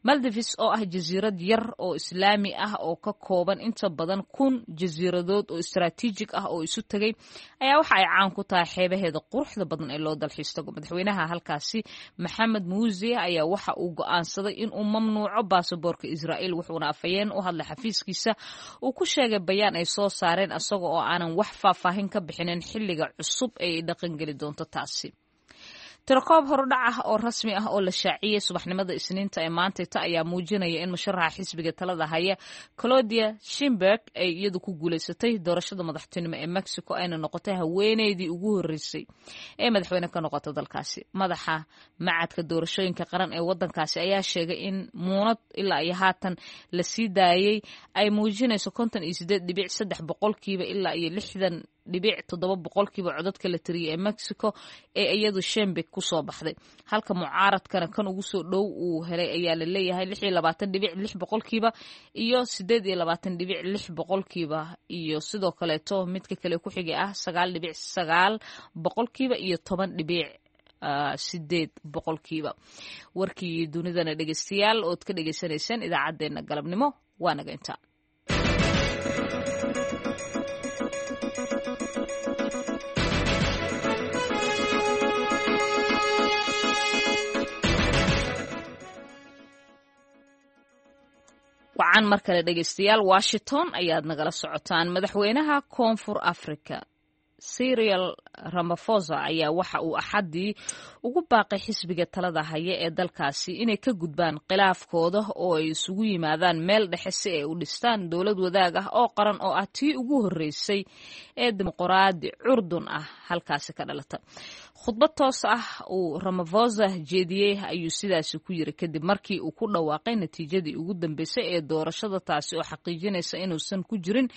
Maldives oo ah jasiirad yar oo Islaami ah oo ka kooban inta badan 1000 jasiiradood oo istaraatiijig ah oo isu tegay, ayaa waxa ay caan ku tahay xeebaheeda quruxda badan ee loo dalxiis tago. Madaxweynaha halkaasi, Maxamed Muuse, ayaa waxa uu go'aansaday in uu mamnuuco baasaboorka Israa'iil, wuxuuna afhayeen u hadlay xafiiskiisa uu ku sheegay bayaan ay soo saareen, isaga oo aanan wax faahfaahin ka bixinin xilliga cusub ay dhaqangeli doonto taasi. Tirakoob horudhac ah oo rasmi ah oo la shaaciyey subaxnimada Isniinta ee maantayta ayaa muujinaya in musharaxa xisbiga talada haya Claudia Sheinbaum ay iyadu ku guuleysatay doorashada madaxtinimo ee Mexico, ayna noqotay haweeneydii ugu horeysay ee madaxweyne ka noqota dalkaasi. Madaxa macadka doorashooyinka qaran ee wadankaasi ayaa sheegay in muunad ilaa iyo haatan la sii daayey ay muujinayso 58.3% ilaa iyo 60.7% codadka la tiriyay ee Mexico ee iyadu Sheinbaum kusoo baxday, halka mucaaradkana kan ugu soo dhow uu helay ayaa la leeyahay 26.6% iyo 28.6%, iyo sidoo kaleeto midka kale ku xigay ah 9.9% iyo 10.8%. Warkii dunidana dhegeystayaal ood ka dhegeysanayseen idaacaddeenna galabnimo waa naga intaa. Wacan mar kale dhegeystayaal, Washington ayaad nagala socotaan. Madaxweynaha Koonfur Africa Cyril Ramaphosa ayaa waxa uu Axaddii ugu baaqay xisbiga talada haya ee dalkaasi inay ka gudbaan khilaafkooda oo ay isugu yimaadaan meel dhexe si ay u dhistaan dowlad wadaag ah oo qaran oo ah tii ugu horreysay ee dimuqraadi curdun ah halkaasi ka dhalata. Khudbad toos ah uu Ramaphosa jeediyey ayuu sidaasi ku yiri kadib markii uu ku dhawaaqay natiijadii ugu dambeysay ee doorashada, taasi oo xaqiijinaysa inuusan ku jirin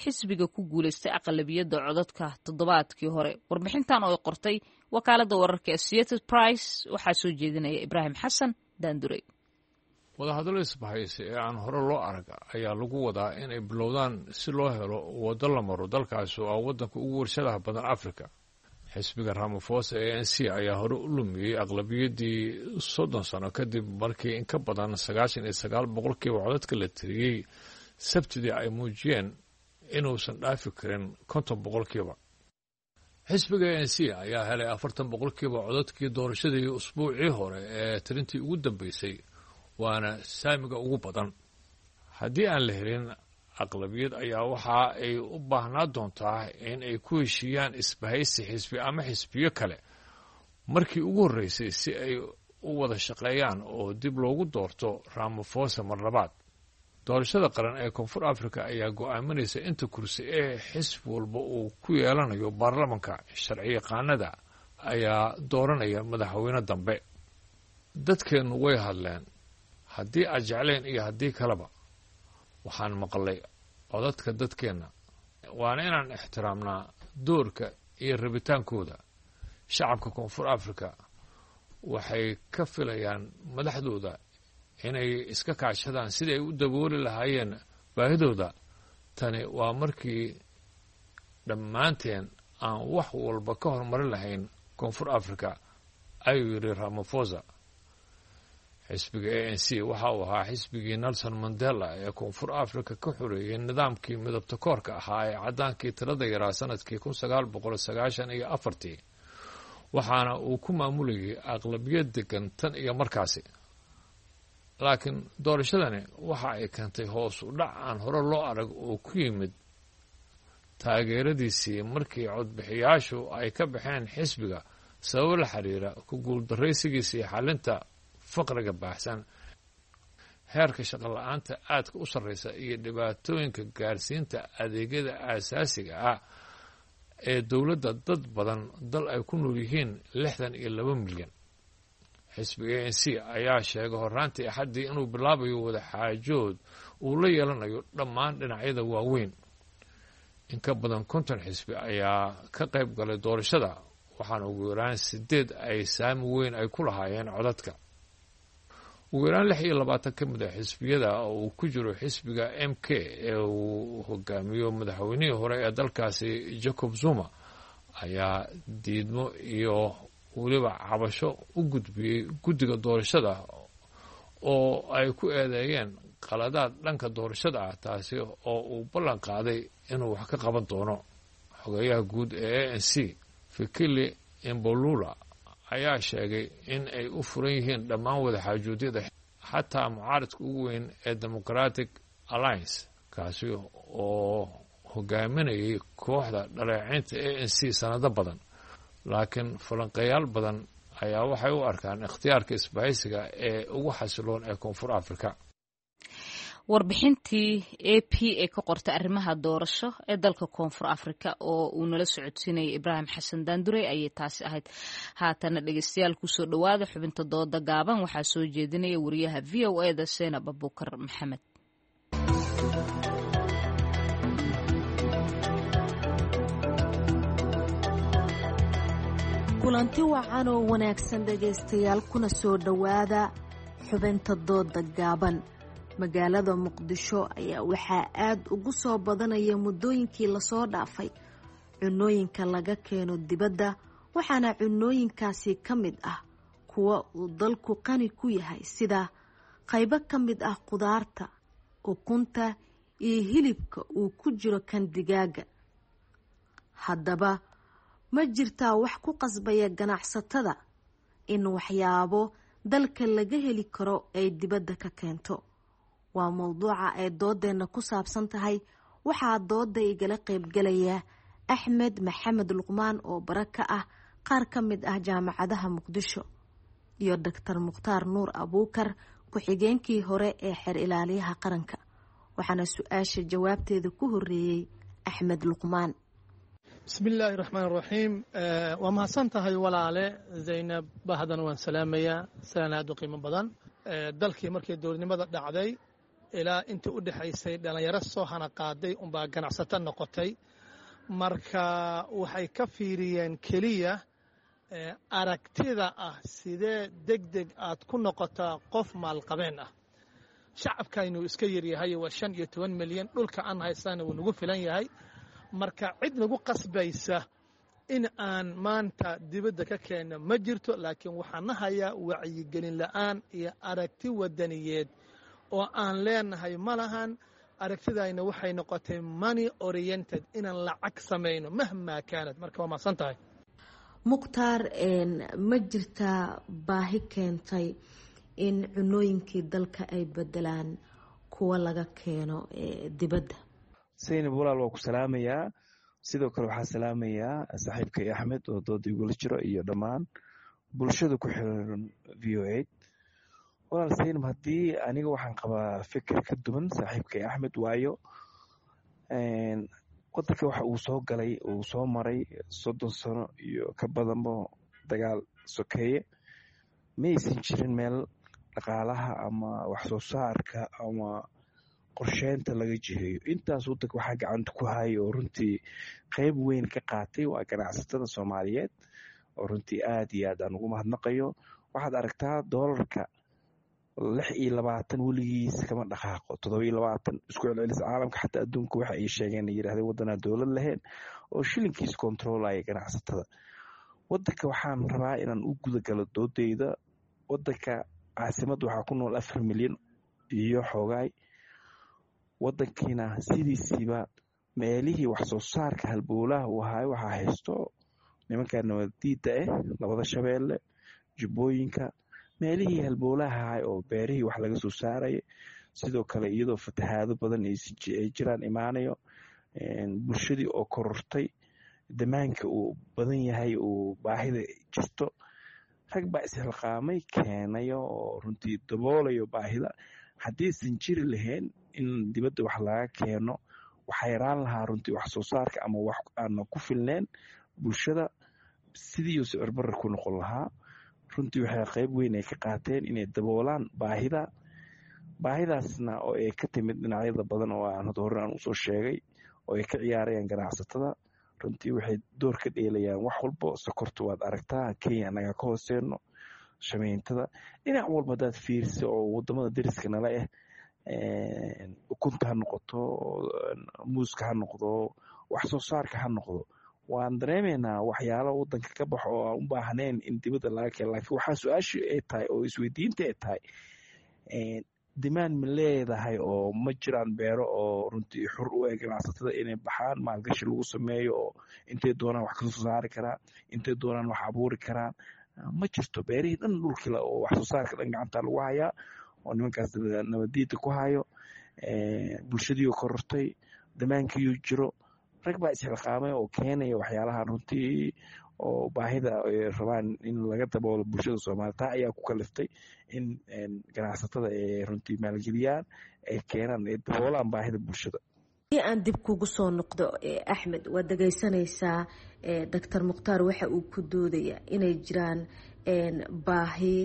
xisbiga ku guuleystay aqlabiyadda codadka toddobaadkii hore. Warbixintan oo ay qortay wakaaladda wararka Associated Price waxaa soo jeedinaya Ibraahim Xasan Daandurey. Wadahadallo isbahaysi ee aan hore loo arag ayaa lagu wadaa inay bilowdaan si loo helo waddo la maro dalkaasi oo ah waddanka ugu warshadaha badan Afrika. Xisbiga Ramaphosa ee ANC ayaa hore u lumiyey aqlabiyaddii 30 sano kadib markii in ka badan 99% codadka la tiriyey Sabtidii ay muujiyeen inuusan dhaafi karin 50%. Xisbiga ANC ayaa helay 40% codadkii doorashadii usbuucii hore ee tirintii ugu dambeysay, waana saamiga ugu badan. Haddii aan la helin aqlabiyad ayaa waxa ay u baahnaa doontaa in ay ku heshiiyaan isbahaysi xisbi ama xisbiyo kale markii ugu horreysay si ay u wada shaqeeyaan oo dib loogu doorto Ramaphosa mar labaad. Doorashada qaran ee Koonfur Africa ayaa go'aaminaysa inta kursi ee xisbi walba uu ku yeelanayo baarlamanka. Sharciyaqaanada ayaa dooranaya madaxweyne dambe. Dadkeennu way hadleen, haddii aad jecleen iyo haddii kaleba. Waxaan maqlay codadka dadkeenna, waana inaan ixtiraamnaa doorka iyo rabitaankooda. Shacabka Koonfur Africa waxay ka filayaan madaxdooda inay iska kaashadaan sidii ay u dabooli lahaayeen baahidooda. Tani waa markii dhammaanteen aan wax walba ka hormarin lahayn Koonfur Africa, ayuu yidhi Ramaphosa. Xisbiga ANC waxa uu ahaa xisbigii Nelson Mandela ee Koonfur Africa ka xoreeyey nidaamkii midabta koorka ahaa ee caddaankii tirada yaraa sanadkii 1994-tii, waxaana uu ku maamulayay aqlabiyad degan tan iyo markaasi. Laakiin doorashadani waxa ay keentay hoos u dhac aan hore loo arag oo ku yimid taageeradiisii markii codbixiyaashu ay ka baxeen xisbiga sababo la xiriira ku guuldaraysigiisii xalinta faqriga baahsan, heerka shaqo la-aanta aadka u sarreysa iyo dhibaatooyinka gaarsiinta adeegyada aasaasiga ah ee dowladda dad badan dal ay ku nool yihiin 62 milyan. Xisbiga ANC ayaa sheegay horraantii Axaddii inuu bilaabayo wadaxaajood uu la yeelanayo dhammaan dhinacyada waaweyn. In ka badan 50 xisbi ayaa ka qayb galay doorashada, waxaana ugu yaraan sideed ay saami weyn ay ku lahaayeen codadka. Ugu yaraan 26 ka mid a xisbiyada oo uu ku jiro xisbiga MK ee uu hogaamiyo madaxweynihii hore ee dalkaasi Jacob Zuma ayaa diidmo iyo weliba cabasho u gudbiyey guddiga doorashada oo ay ku eedeeyeen qaladaad dhanka doorashada ah, taasi oo uu ballan qaaday inuu wax ka qaban doono. Xogeyaha guud ee ANC Fikile Mbalula ayaa sheegay in ay u furan yihiin dhammaan wadaxaajoodiyada, xataa mucaaridka ugu weyn ee Democratic Alliance, kaasi oo hogaaminayay kooxda dhaleeceynta ANC sanado badan. Laakiin falanqeyaal badan ayaa waxay u arkaan ikhtiyaarka isbahaysiga ee ugu xasiloon ee Koonfur Afrika. Warbixintii A P ee ka qortay arrimaha doorasho ee dalka Koonfur Afrika oo uu nala socodsiinayay Ibraahim Xasan Daandurey ayay taasi ahayd. Haatana dhegeystayaal, kusoo dhowaada xubinta dooda gaaban. Waxaa soo jeedinaya wariyaha V O E da Seenab Abuukar Maxamed. Kulanti wacan oo wanaagsan dhegaystayaal, kuna soo dhowaada xubinta dooda gaaban. Magaalada Muqdisho ayaa waxaa aada ugu soo badanaya muddooyinkii lasoo dhaafay cunooyinka laga keeno dibadda, waxaana cunooyinkaasi ka mid ah kuwa uu dalku qani ku yahay, sida qaybo ka mid ah qudaarta, ukunta iyo hilibka uu ku jiro kan digaaga. Haddaba ma jirtaa wax ku qasbaya ganacsatada in waxyaabo dalka laga heli karo ay dibadda ka keento? Waa mowduuca ay doodeenna ku saabsan tahay. Waxaa dooda igala qaybgalaya Axmed Maxamed Luqmaan oo bara ka ah qaar ka mid ah jaamacadaha Muqdisho, iyo Doctor Mukhtaar Nuur Abuukar, ku-xigeenkii hore ee xeer ilaaliyaha qaranka. Waxaana su-aasha jawaabteeda ku horeeyey Axmed Luqmaan. Bismi illaahi raxmaan raxiim. Waa mahadsan tahay walaale Zaynab. Bahdan waan salaamayaa, salaan aad u qiimo badan. Dalkii markii dowladnimada dhacday ilaa intii u dhexaysay, dhallinyaro soo hana qaaday unbaa ganacsato noqotay. Marka waxay ka fiiriyeen keliya aragtida ah sidee deg deg aad ku noqotaa qof maalqabeen ah. Shacabkaynu iska yaryahay, waa 15 milyan. Dhulka aan haysana wuu nagu filan yahay. Marka cid nagu qasbaysa in aan maanta dibadda ka keenno ma jirto, laakiin waxaan na hayaa wacyigelin la'aan iyo aragti wadaniyeed oo aan leenahay ma lahan. Aragtidayna waxay noqotay money oriented, inaan lacag samayno mahmaa kaanad. Marka waa mahadsan tahay. Mukhtaar, ma jirtaa baahi keentay in cunooyinkii dalka ay bedelaan kuwa laga keeno dibadda? Saynab walaal, waa ku salaamayaa. Sidoo kale waxaa salaamayaa saaxiibkay Axmed oo dooda igula jiro iyo dhammaan bulshada ku xiran VOA. Walaal Saynab, haddii aniga waxaan qabaa fikir ka duwan saaxiibkay Axmed, waayo wadanka waxa uu soo galay, uu soo maray 30 sano iyo ka badanba dagaal sokeeye. Ma aysan jirin meel dhaqaalaha ama wax soo saarka ama qorsheynta laga jiheeyo. Intaas wadanka waxaa gacanta ku hayay oo runtii qeyb weyn ka qaatay waa ganacsatada Soomaaliyeed, oo runtii aad iyo aad aan ugu mahadnaqayo. Waxaad aragtaa doolarka 26 weligiis kama dhaqaaqo, 27 isku celcelis. Caalamka xataa adduunka waxa ay sheegeen, yidhahdeen waddanaa dowlad lahayn oo shilinkiis kontroolaya ganacsatada wadanka. Waxaan rabaa inaan u gudagalo doodeyda. Wadanka caasimadda waxaa ku nool 4 milyan iyo xoogaay. Wadankiina sidiisiiba meelihii wax soo saarka halbowlaha uu ahaay waxaa haysto nimanka nabadiida ah, labada Shabeelle, Jubbooyinka, meelihii halbowlaha ahay oo beerihii wax laga soo saaraya. Sidoo kale iyadoo fatahaado badan ay jiraan imaanayo, bulshadii oo korortay, damaanka uu badan yahay, uu baahida jirto, rag baa isxilqaamay keenayo oo runtii daboolayo baahida. Haddiisan jiri lahayn in dibadda wax laga keeno, waxaa yaraan lahaa runtii wax soo saarka ama wax aana ku filneen bulshada, sidiiuu sicir barra ku noqon lahaa. Runtii waxay qayb weyn ay ka qaateen inay daboolaan baahida, baahidaasna oo ay ka timid dhinacyada badan oo aan hadda hore aan usoo sheegay oo ay ka ciyaarayaan ganacsatada. Runtii waxay door ka dheelayaan wax walbo. Sokorta waad aragtaa, Kenya annagaa ka hooseyno, shameyntada, dhinac walba hadaad fiirisa oo wadamada deriska nala ah, ukunta ha noqoto, muuska ha noqdo, wax soo saarka ha noqdo, waan dareemaynaa waxyaalo wadanka ka baxo oo aan u baahnayn in dibadda laga keeno. Laakiin waxaa su-aashii ay tahay oo isweydiinta ay tahay, dimaan ma leedahay oo ma jiraan beero oo runtii xur u eg ganacsatada inay baxaan, maalgashi lagu sameeyo oo intay doonaan wax kasoo saari karaan, intay doonaan wax abuuri karaan? Ma jirto. Beerihii dhan, dhulkila oo wax soo saarka dhan gacanta lagu hayaa oo nimankaas nabadiida ku hayo. Bulshadiioo korortay, damaankiiyuu jiro, Rag baa isxilqaamay oo keenaya waxyaalaha runtii oo baahida ay rabaan in laga daboolo bulshada Soomaaliya. Taa ayaa ku kaliftay in ganacsatada ay runtii maalgeliyaan, ay keenaan, ay daboolaan baahida bulshada. Hadii aan dib kugu soo noqdo, Axmed, waad dhegeysanaysaa Doctor Mukhtaar waxa uu ku doodaya inay jiraan baahi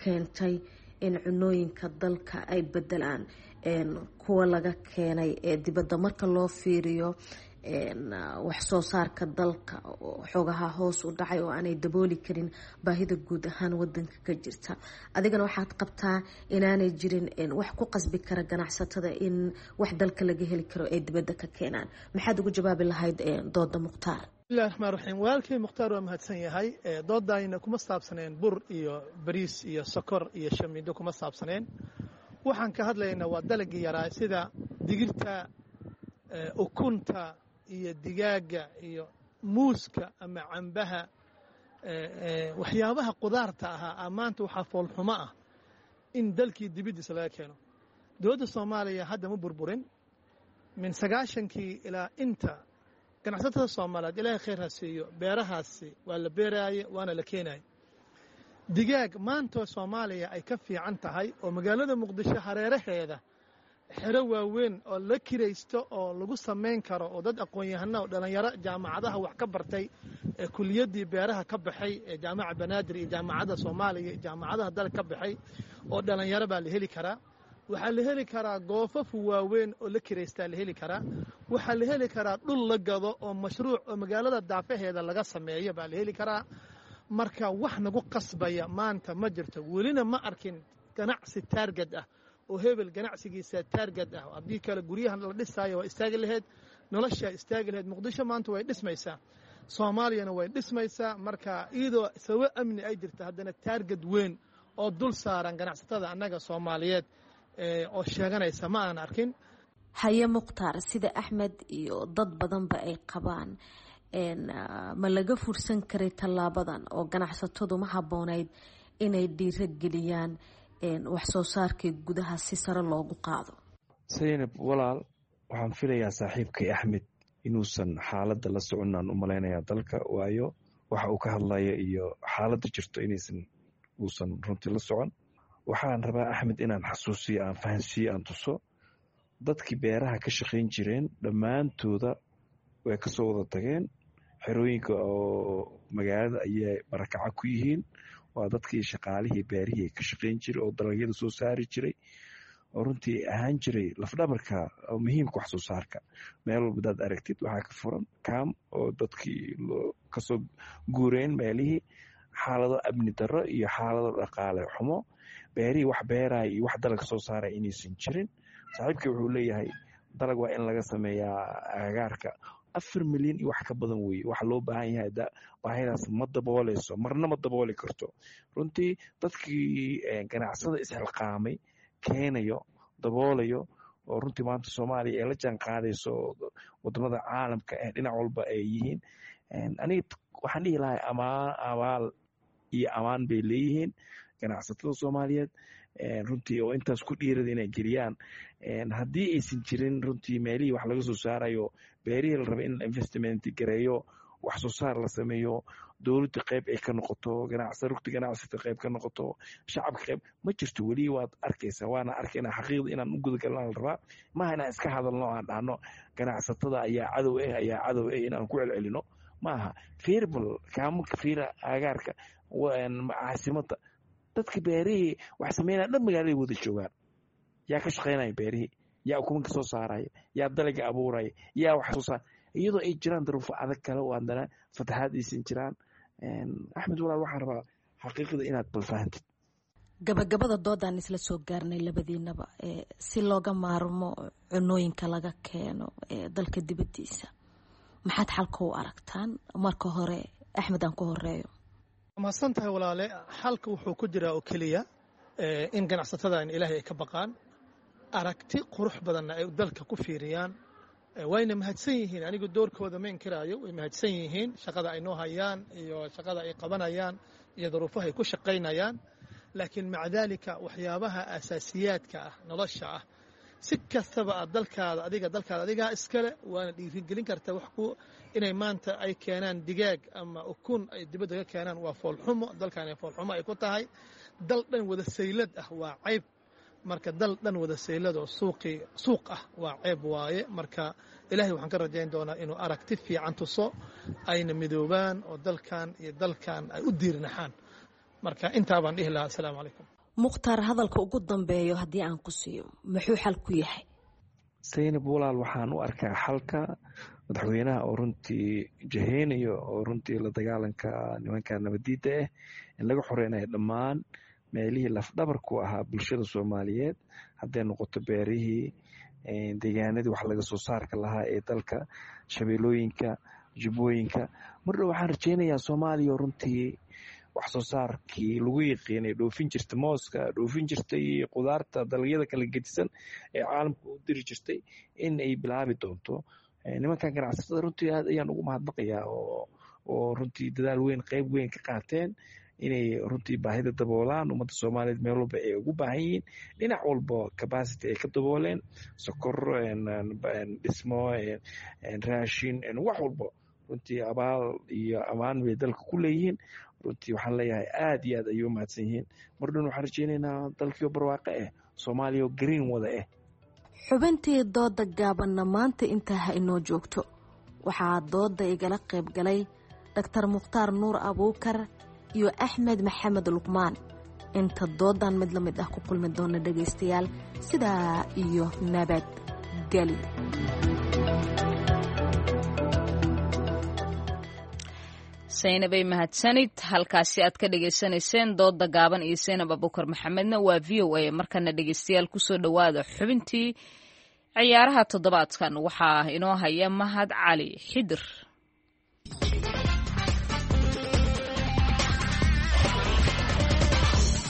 keentay in cunooyinka dalka ay bedelaan kuwa laga keenay ee dibadda, marka loo fiiriyo wax soo saarka dalka xoogaha hoos u dhacay oo aanay dabooli karin baahida guud ahaan wadanka ka jirta. Adigana waxaad qabtaa inaanay jirin wax ku qasbi kara ganacsatada in wax dalka laga heli karo ay dibadda ka keenaan. Maxaad ugu jawaabi lahayd dooda Mukhtaar? Bismillahi raxmaan raxiim. Walaalkay Mukhtaar waa mahadsan yahay. Doodayna kuma saabsaneen bur iyo bariis iyo sokor iyo shamiindo kuma saabsaneen. Waxaan ka hadlaynaa waa dalagii yaraa, sida digirta, ukunta iyo digaaga iyo muuska ama cambaha, waxyaabaha qudaarta ahaa. Maanta waxaa foolxumo ah in dalkii dibiddiisa laga keeno. Dowladda Soomaaliya hadda ma burburin min 90kii ilaa inta. Ganacsatada Soomaaliyeed, Ilaahay khayr ha siiyo, beerahaasi waa la beeraaye waana la keenaye. Digaag maanta Soomaaliya ay ka fiican tahay oo magaalada Muqdisho hareeraheeda xero waaweyn oo la kiraysto oo lagu samayn karo oo dad aqoon-yahana oo dhallinyaro jaamacadaha wax ka bartay, ee kuliyaddii beeraha ka baxay ee Jaamaca Banaadir iyo Jaamacadda Soomaaliya iyo jaamacadaha dalka ka baxay oo dhallinyaro baa la heli karaa. Waxaa la heli karaa goofafu waaweyn oo la kiraystaa la heli karaa. Waxaa la heli karaa dhul la gado oo mashruuc oo magaalada daafaheeda laga sameeyo baa la heli karaa. Marka wax nagu qasbaya maanta ma jirto. Welina ma arkin ganacsi target ah oo hebel ganacsigiisa target ah. Haddii kale guryahan la dhisaayo waa istaagi lahayd, noloshaa istaagi lahayd. Muqdisho maanta way dhismaysaa, Soomaaliyana way dhismaysaa. Marka iyadoo sababo amni ay jirta, haddana target weyn oo dul saaran ganacsatada annaga Soomaaliyeed oo sheeganaysa ma aan arkin. Haye Mukhtaar, sida Axmed iyo dad badanba ay qabaan, ma laga fursan karay tallaabadan oo ganacsatadu ma habboonayd inay dhiiro geliyaan wax soo saarkii gudaha si sare loogu qaado? Saynab walaal, waxaan filayaa saaxiibkay Axmed inuusan xaaladda la soconaan u malaynayaa dalka, waayo waxa uu ka hadlaya iyo xaaladda jirto inaysan uusan runtii la socon. Waxaan rabaa Axmed inaan xasuusiyo, aan fahansiiyo, aan tuso dadkii beeraha ka shaqayn jireen dhammaantooda way kasoo wada tageen xerooyinka oo magaalada ayay barakaca ku yihiin. Waa dadkii shaqaalihii beerihii ka shaqayn jiray oo dalagyada soo saari jiray oo runtii ahaan jiray lafdhabarka oo muhiimka wax soo saarka. Meel walba hadaad aragtid waxaa ka furan kaam oo dadkii kasoo guureen meelihii, xaalado amni darro iyo xaalado dhaqaale xumo, beerihii wax beeraya iyo wax dalag soo saaraya inaysan jirin. Saaxiibkii wuxuu leeyahay dalag waa in laga sameeyaa agagaarka. 4 milyan iyo wax ka badan weeye waxa loo baahan yahay. Baahidaas ma dabooleyso, marna ma dabooli karto. Runtii dadkii ganacsada isxilqaamay keenayo, daboolayo oo runtii maanta Soomaaliya ay la jaan qaadayso wadamada caalamka ee dhinac walba ay yihiin, aniga waxaan dhihi lahay amaan, abaal iyo amaan bay leeyihiin ganacsatada Soomaaliyeed runtii oo intaas ku dhiirada inay geliyaan. Haddii aysan jirin runtii meelihii wax laga soo saarayo, beerihii la rabay in la investment gareeyo, wax soo saar la sameeyo, dowladda qayb ay ka noqoto, rugta ganacsata qayb ka noqoto, shacabka qayb, ma jirto weli. Waad arkaysaa, waana arkaynaa. Xaqiiqda inaan u gudagalnaa la rabaa, maaha inaan iska hadalno, aan dhahno ganacsatada ayaa cadow eh, ayaa cadow eh, inaan ku celcelino maaha. Fiirbal kaamaka, fiira agaarka caasimada, dadka beerihii wax sameynaya dhan magaaladay wada joogaan. Yaa ka shaqaynaya beerihii? Yaa ukumanka soo saaraya? Yaa dalaga abuuraya? Yaa wax soo saar, iyadoo ay jiraan daruufo adag kale oo haddana fatahaad aysan jiraan? Axmed walaal, waxaan rabaa xaqiiqda inaad balfahantid. Gabagabada doodaan isla soo gaarnay labadiinaba, si looga maarmo cunooyinka laga keeno dalka dibadiisa, maxaad xalka u aragtaan? Marka hore Axmed aan ku horeeyo. Mahadsan tahay walaale. Xalka wuxuu ku jiraa oo keliya in ganacsatadan Ilaahay ay ka baqaan, aragti qurux badanna ay dalka ku fiiriyaan. Wayna mahadsan yihiin, anigu doorkooda ma inkiraayo, way mahadsan yihiin shaqada ay noo hayaan iyo shaqada ay qabanayaan iyo duruufaha ay ku shaqaynayaan. Laakiin maca daalika waxyaabaha asaasiyaadka ah, nolosha ah, Si kastaba aad dalkaada adiga dalkaada adigaa iskale waana dhiirigelin kartaa wax ku inay maanta ay keenaan digaag ama ukun ay dibadda ka keenaan waa foolxumo. Dalkan foolxumo ay ku tahay dal dhan wada saylad ah waa cayb. Marka dal dhan wada saylad oo suuqii suuq ah waa ceeb waaye. Marka ilaahay waxaan ka rajayn doonaa inuu aragti fiican tuso, ayna midoobaan oo dalkan iyo dalkan ay u diirnaxaan. Marka intaa baan dhihi lahaa. Asalaamu calaykum. Mukhtaar, hadalka ugu dambeeyo haddii aan ku siiyo, muxuu xal ku yahay? Saynab walaal, waxaan u arkaa xalka madaxweynaha oo runtii jaheynayo oo runtii la dagaalanka nimanka nabadiida ah in laga xoreynayo dhammaan meelihii lafdhabarku ahaa bulshada Soomaaliyeed, hadday noqoto beerihii, deegaanadii wax laga soo saarka lahaa ee dalka, shabeelooyinka, jubbooyinka. Mardhow waxaan rajeynayaa Soomaaliya runtii wax soo saarkii lagu yiqiinay dhoofin jirta mooska, dhoofin jirtay qudaarta, dalagyada kala gedisan ee caalamka u diri jirtay in ay bilaabi doonto. Nimankan ganacsatada runtii aad ayaan ugu mahadnaqayaa oo runtii dadaal weyn, qeyb weyn ka qaateen inay runtii baahida daboolaan ummadda Soomaaliyeed meel walba ay ugu baahan yihiin, dhinac walba capacity ay ka dabooleen, sokor, dhismo, raashin, wax walba. Runtii abaal iyo amaan bay dalka ku leeyihiin. Runtii waxaan leeyahay aad iyo aad ayay u mahadsan yihiin. Mardhan waxaan rajeynaynaa dalkiio barwaaqe ah, Soomaaliya oo green wada ah. Xubintii dooda gaabanna maanta intaa ha inoo joogto. Waxaa dooda igala qayb galay Dhaktar Mukhtaar Nuur Abuukar iyo Axmed Maxamed Luqmaan. Inta doodan mid la mid ah ku kulmi doona dhegaystayaal, sidaa iyo nabad geli. Saynabay mahadsanid. Halkaasi aad ka dhegaysanayseen dooda gaaban iyo Saynab Abuukar Maxamedna waa VOA. Markana dhegaystayaal, kusoo dhowaada xubintii ciyaaraha toddobaadkan. Waxaa inoo haya Mahad Cali Xidir.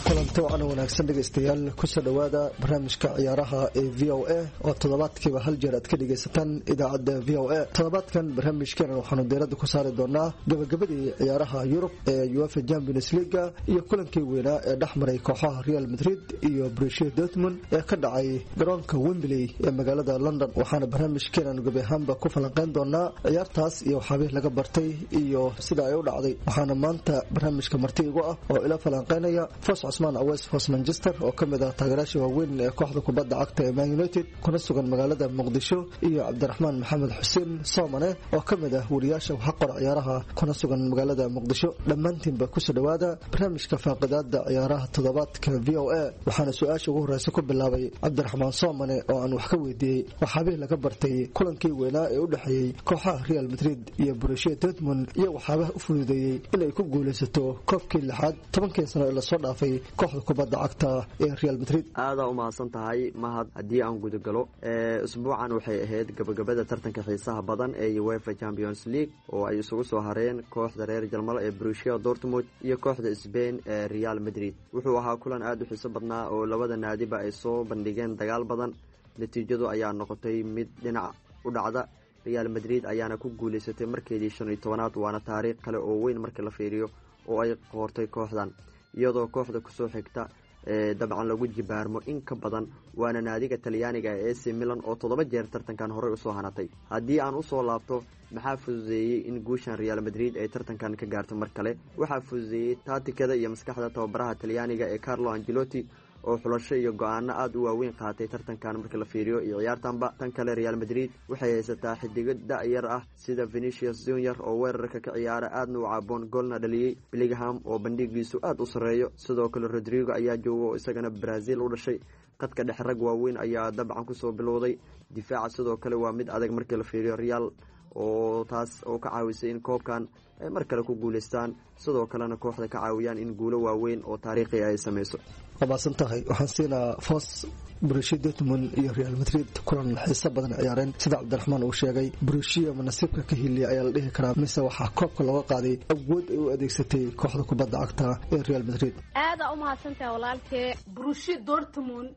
Kulanti wacan wanaagsan dhegaystayaal, kusoo dhowaada barnaamijka ciyaaraha ee VOA oo toddobaadkiiba hal jeer aad ka dhegaysataan idaacadda VOA. Toddobaadkan barnaamijkeena waxaanu diiradda ku saari doonaa gabagabadii ciyaaraha Yurub ee UEFA Champions League iyo kulankii weynaa ee dhexmaray kooxaha Real Madrid iyo Borussia Dortmund ee ka dhacay garoonka Wembley ee magaalada London. Waxaana barnaamijkeenan gebi ahaanba ku falanqeyn doonaa ciyaartaas iyo waxyaabihii laga bartay iyo sida ay u dhacday. Waxaana maanta barnaamijka marti igu ah oo ila falanqeynaya Foos Cusmaan Aweys, Foos Manchester, oo ka mid ah taageerayaasha waaweyn ee kooxda kubadda cagta ee Man United kuna sugan magaalada Muqdisho, iyo Cabdiraxmaan Maxamed Xuseen Soomane oo ka mid ah wariyaasha waxqor ciyaaraha kuna sugan magaalada Muqdisho. Dhammaantiinba kusoo dhowaada barnaamijka faaqidaada ciyaaraha toddobaadka VOA. Waxaana su-aasha ugu horeysa ku bilaabay Cabdiraxmaan Soomane oo aan wax ka weydiiyey waxyaabihii laga bartay kulankii weynaa ee u dhexeeyey kooxaha Real Madrid iyo Borussia Dortmund iyo waxyaabaha u fududeeyey inay ku guuleysato koobkii lixaad 10kii sano ee lasoo dhaafay kooxda kubadda cagta ee Real Madrid. Aadaa u mahadsan tahay Mahad. Haddii aan gudagalo, isbuucan waxay ahayd gabagabada tartanka xiisaha badan ee UEFA Champions League oo ay isugu soo hareen kooxda reer Jarmal ee Borussia Dortmund iyo kooxda Spain ee Real Madrid. Wuxuu ahaa kulan aada u xiiso badnaa oo labada naadiba ay soo bandhigeen dagaal badan. Natiijadu ayaa noqotay mid dhinac u dhacda. Real Madrid ayaana ku guuleysatay markeedii 15aad, waana taariikh kale oo weyn marka la fiiriyo oo ay qoortay kooxdan, iyadoo kooxda kusoo xigta ee dabcan lagu jibaarmo in ka badan, waana naadiga talyaaniga ee AC Milan oo 7 jeer tartankan horey usoo hanatay. Haddii aan usoo laabto maxaa fududeeyey in guushan Real Madrid ay tartankan ka gaarto mar kale, waxaa fududeeyey taatikada iyo maskaxda tababaraha talyaaniga ee Carlo Angelotti oo xulasho iyo go-aano aada u waaweyn qaatay tartankan marka la fiiriyo iyo ciyaartanba. Tan kale, Real Madrid waxay haysataa xidigo da-yar ah sida Venicius Junior oo weerarka ka ciyaara aadna u caaboon, goolna dhaliyey, Bellingham oo bandhigiisu aada u sarreeyo, sidoo kale Rodrigo ayaa jooga oo isagana Brazil u dhashay. Qadka dhexe rag waaweyn ayaa dabcan kusoo bilowday. Difaaca sidoo kale waa mid adag markii la fiiriyo Real, oo taas oo ka caawisay in koobkan ay mar kale ku guuleystaan, sidoo kalena kooxda ka caawiyaan in guulo waaweyn oo taariikhi ay sameyso. Waa mahadsan tahay. Waxaan siinaa Foos. Borussia Dortmund iyo Real Madrid kulan xiiso badan ciyaareen. Sida Cabdiraxmaan uu sheegay, Borussia ma nasiibka ka hiliya ayaa la dhihi karaa, mise waxaa koobka looga qaaday awood ay u adeegsatay kooxda kubadda cagta ee Real Madrid? Aadaa u mahadsantahay walaalkee. Borussia Dortmund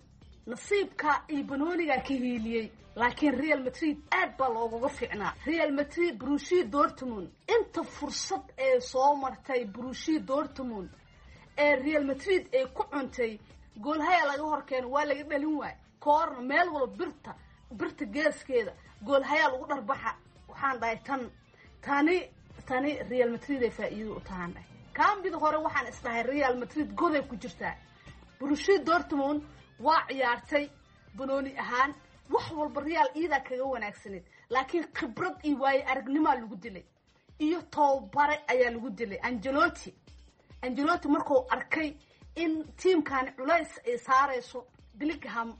nasiibka iyo banoonigaa ka hiiliyey, laakiin Real Madrid aad baa loogaga fiicnaa. Real Madrid Borussia Dortmund inta fursad ee soo martay Borussia Dortmund ee Real Madrid ay ku cuntay, goolhaya laga horkeeno waa laga dhalin waay. Koorna meel walba birta geeskeeda goolhayaa lagu dharbaxa. Waxaan dhahay tan tani tani Real Madrid ay faa'iido u tahaan dhahay. Kaambida hore waxaan isdhahay Real Madrid goday ku jirtaa. Borussia Dortmund waa ciyaartay banooni ahaan wax walba Real iidaa kaga wanaagsaneed, laakiin khibrad iyo waayo aragnimaa lagu dilay iyo tababare ayaa lagu dilay. Ancelotti markuu arkay in tiimkani culays ay saarayso, Bellingham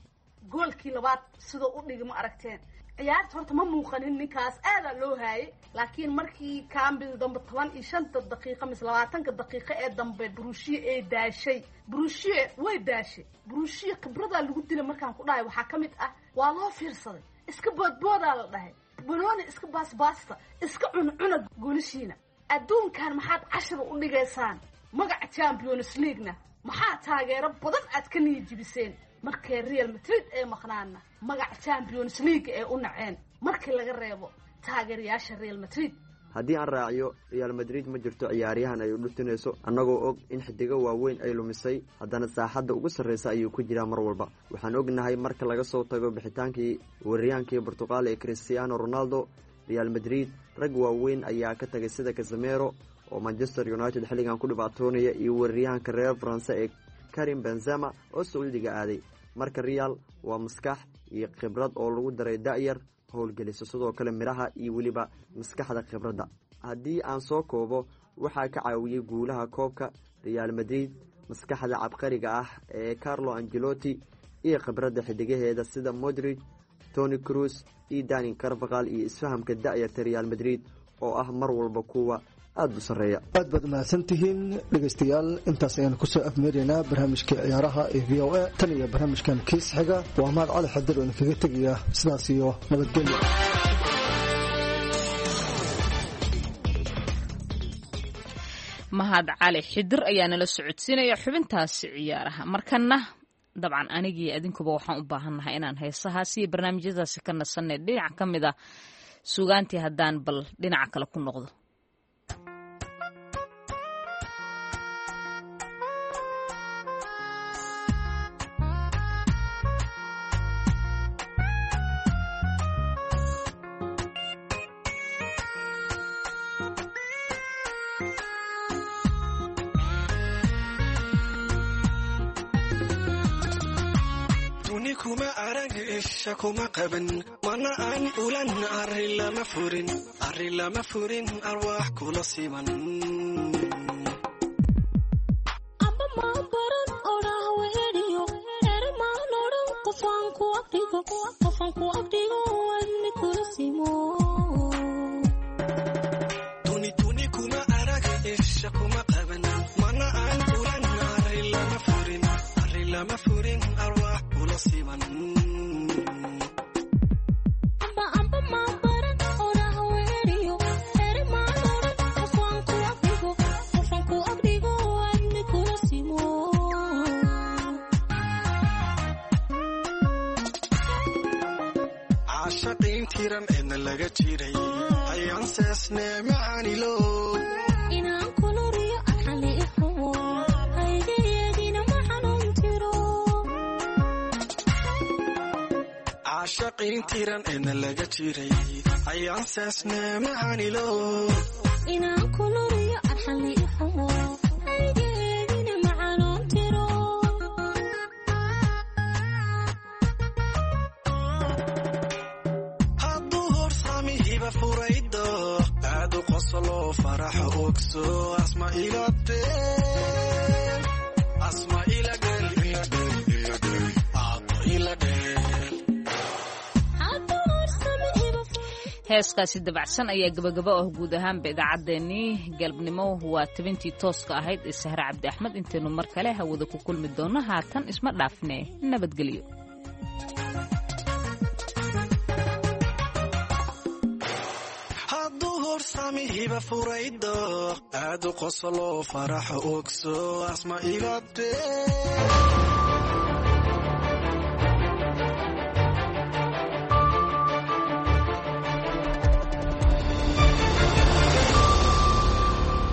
goolkii labaad sidoo u dhigi ma aragteen. Ciyaarta horta ma muuqanin, ninkaas aadaa loo haayay, laakiin markii kaambida dambe 15-ta daqiiqa mise 20-ka daqiiqo ee dambe Borussia ay daashay, Borussia way daashay. Borussia khibradaa lagu dilay markaan ku dhahay waxaa ka mid ah waa loo fiirsaday, iska boodboodaa la dhahay, banooni iska baasbaasta, iska cuncuna goolishiina. Adduunkan maxaad cashar u dhigaysaan magaca Champions League-na? Maxaa taageero badan aad ka niyijibiseen markay Real Madrid ee maqnaana magaca Champions League ee u naceen markii laga reebo taageerayaasha Real Madrid. Haddii aan raaciyo, Real Madrid ma jirto ciyaaryahan ay u dhuftinayso, annagoo og in xidigo waaweyn ay lumisay, haddana saaxadda ugu sarreysa ayuu ku jiraa mar walba. Waxaan ognahay marka laga soo tago bixitaankii weeraryahankii Portuqal ee Cristiano Ronaldo, Real Madrid rag waaweyn ayaa ka tagay sida Casemiro oo Manchester United xilligan ku dhibaatoonaya iyo weeraryahanka reer Faranse ee Karim Benzema oo Sacuudiga aaday. Marka Real waa maskax iyo khibrad oo lagu daray da'yar howlgeliso, sidoo kale midhaha iyo weliba maskaxda khibradda. Haddii aan soo koobo, waxaa ka caawiyey guulaha koobka Real Madrid maskaxda cabqariga ah ee Carlo Angelotti iyo khibradda xidigaheeda sida Modrid, Tony Cruz iyo Dani Carvaqal iyo isfahamka da'yarta Real Madrid oo ah mar walba kuwa aada u sarreeya. Aad baad mahadsantihiin dhegaystayaal, intaas ayaan kusoo afmeeraynaa barnaamijkii ciyaaraha ee VOA. Tan iyo barnaamijkan kiis xiga, waa Mahad Cali Xadir oo idinkaga tegaya sidaas iyo nabadgelyo. Mahad Cali Xidir ayaa nala socodsiinaya xubintaasi ciyaaraha. Markana dabcan anigii adinkuba waxaan u baahannahay inaan heesahaasi iyo barnaamijyadaasi ka nasanay dhinac ka mid a sugaantii haddaan bal dhinaca kale ku noqdo. Kuma arag, isha kuma qaban, mana aan ulan, arri lama furin, arri lama furin, arwaax kula siman. Amba maan baran odhaah weheliyo ere maan odhan qofaan ku agdhigo, qofaan ku agdhigo, wadni kula simo. Tuni tuni kuma arag, isha kuma qaban, mana aan ulan, arri lama furin, arri lama furin, arwaax kula siman. Amba amba maan baran odhaah weheliyo ere maan odhan qofaan ku agdhigo, qofaan ku agdhigo, wadni kula simo. Caashaqiin tiran eedna laga jiray ayaan seesne macaanilo. Inaan kuluriyo arxali ixumo hayga yeegina ma xanuun tiro. Caashaqiin tiran eedna laga jiray ayaan seesne macaanilo. Inaan kuluriyo arxali ixumo hayga yeegina ma xanuun tiro. Hadduu horsamihiba furaydo aad u qoslo farax ogso asma ila deel, asma ila dheel, ila dheel, ila dheel, aabbo ila dheel. Heeskaasi dabacsan ayaa gabagaba ah guud ahaanba idaacaddeenii galabnimo. Waa tabintii tooska ahayd ee Sahre Cabdi Axmed. Intaynu mar kale hawada ku kulmi doonno, haatan isma dhaafne, nabadgelyo. Hadduu horsamihiba furaydo aad u qoslo farax ogso asma ila deel.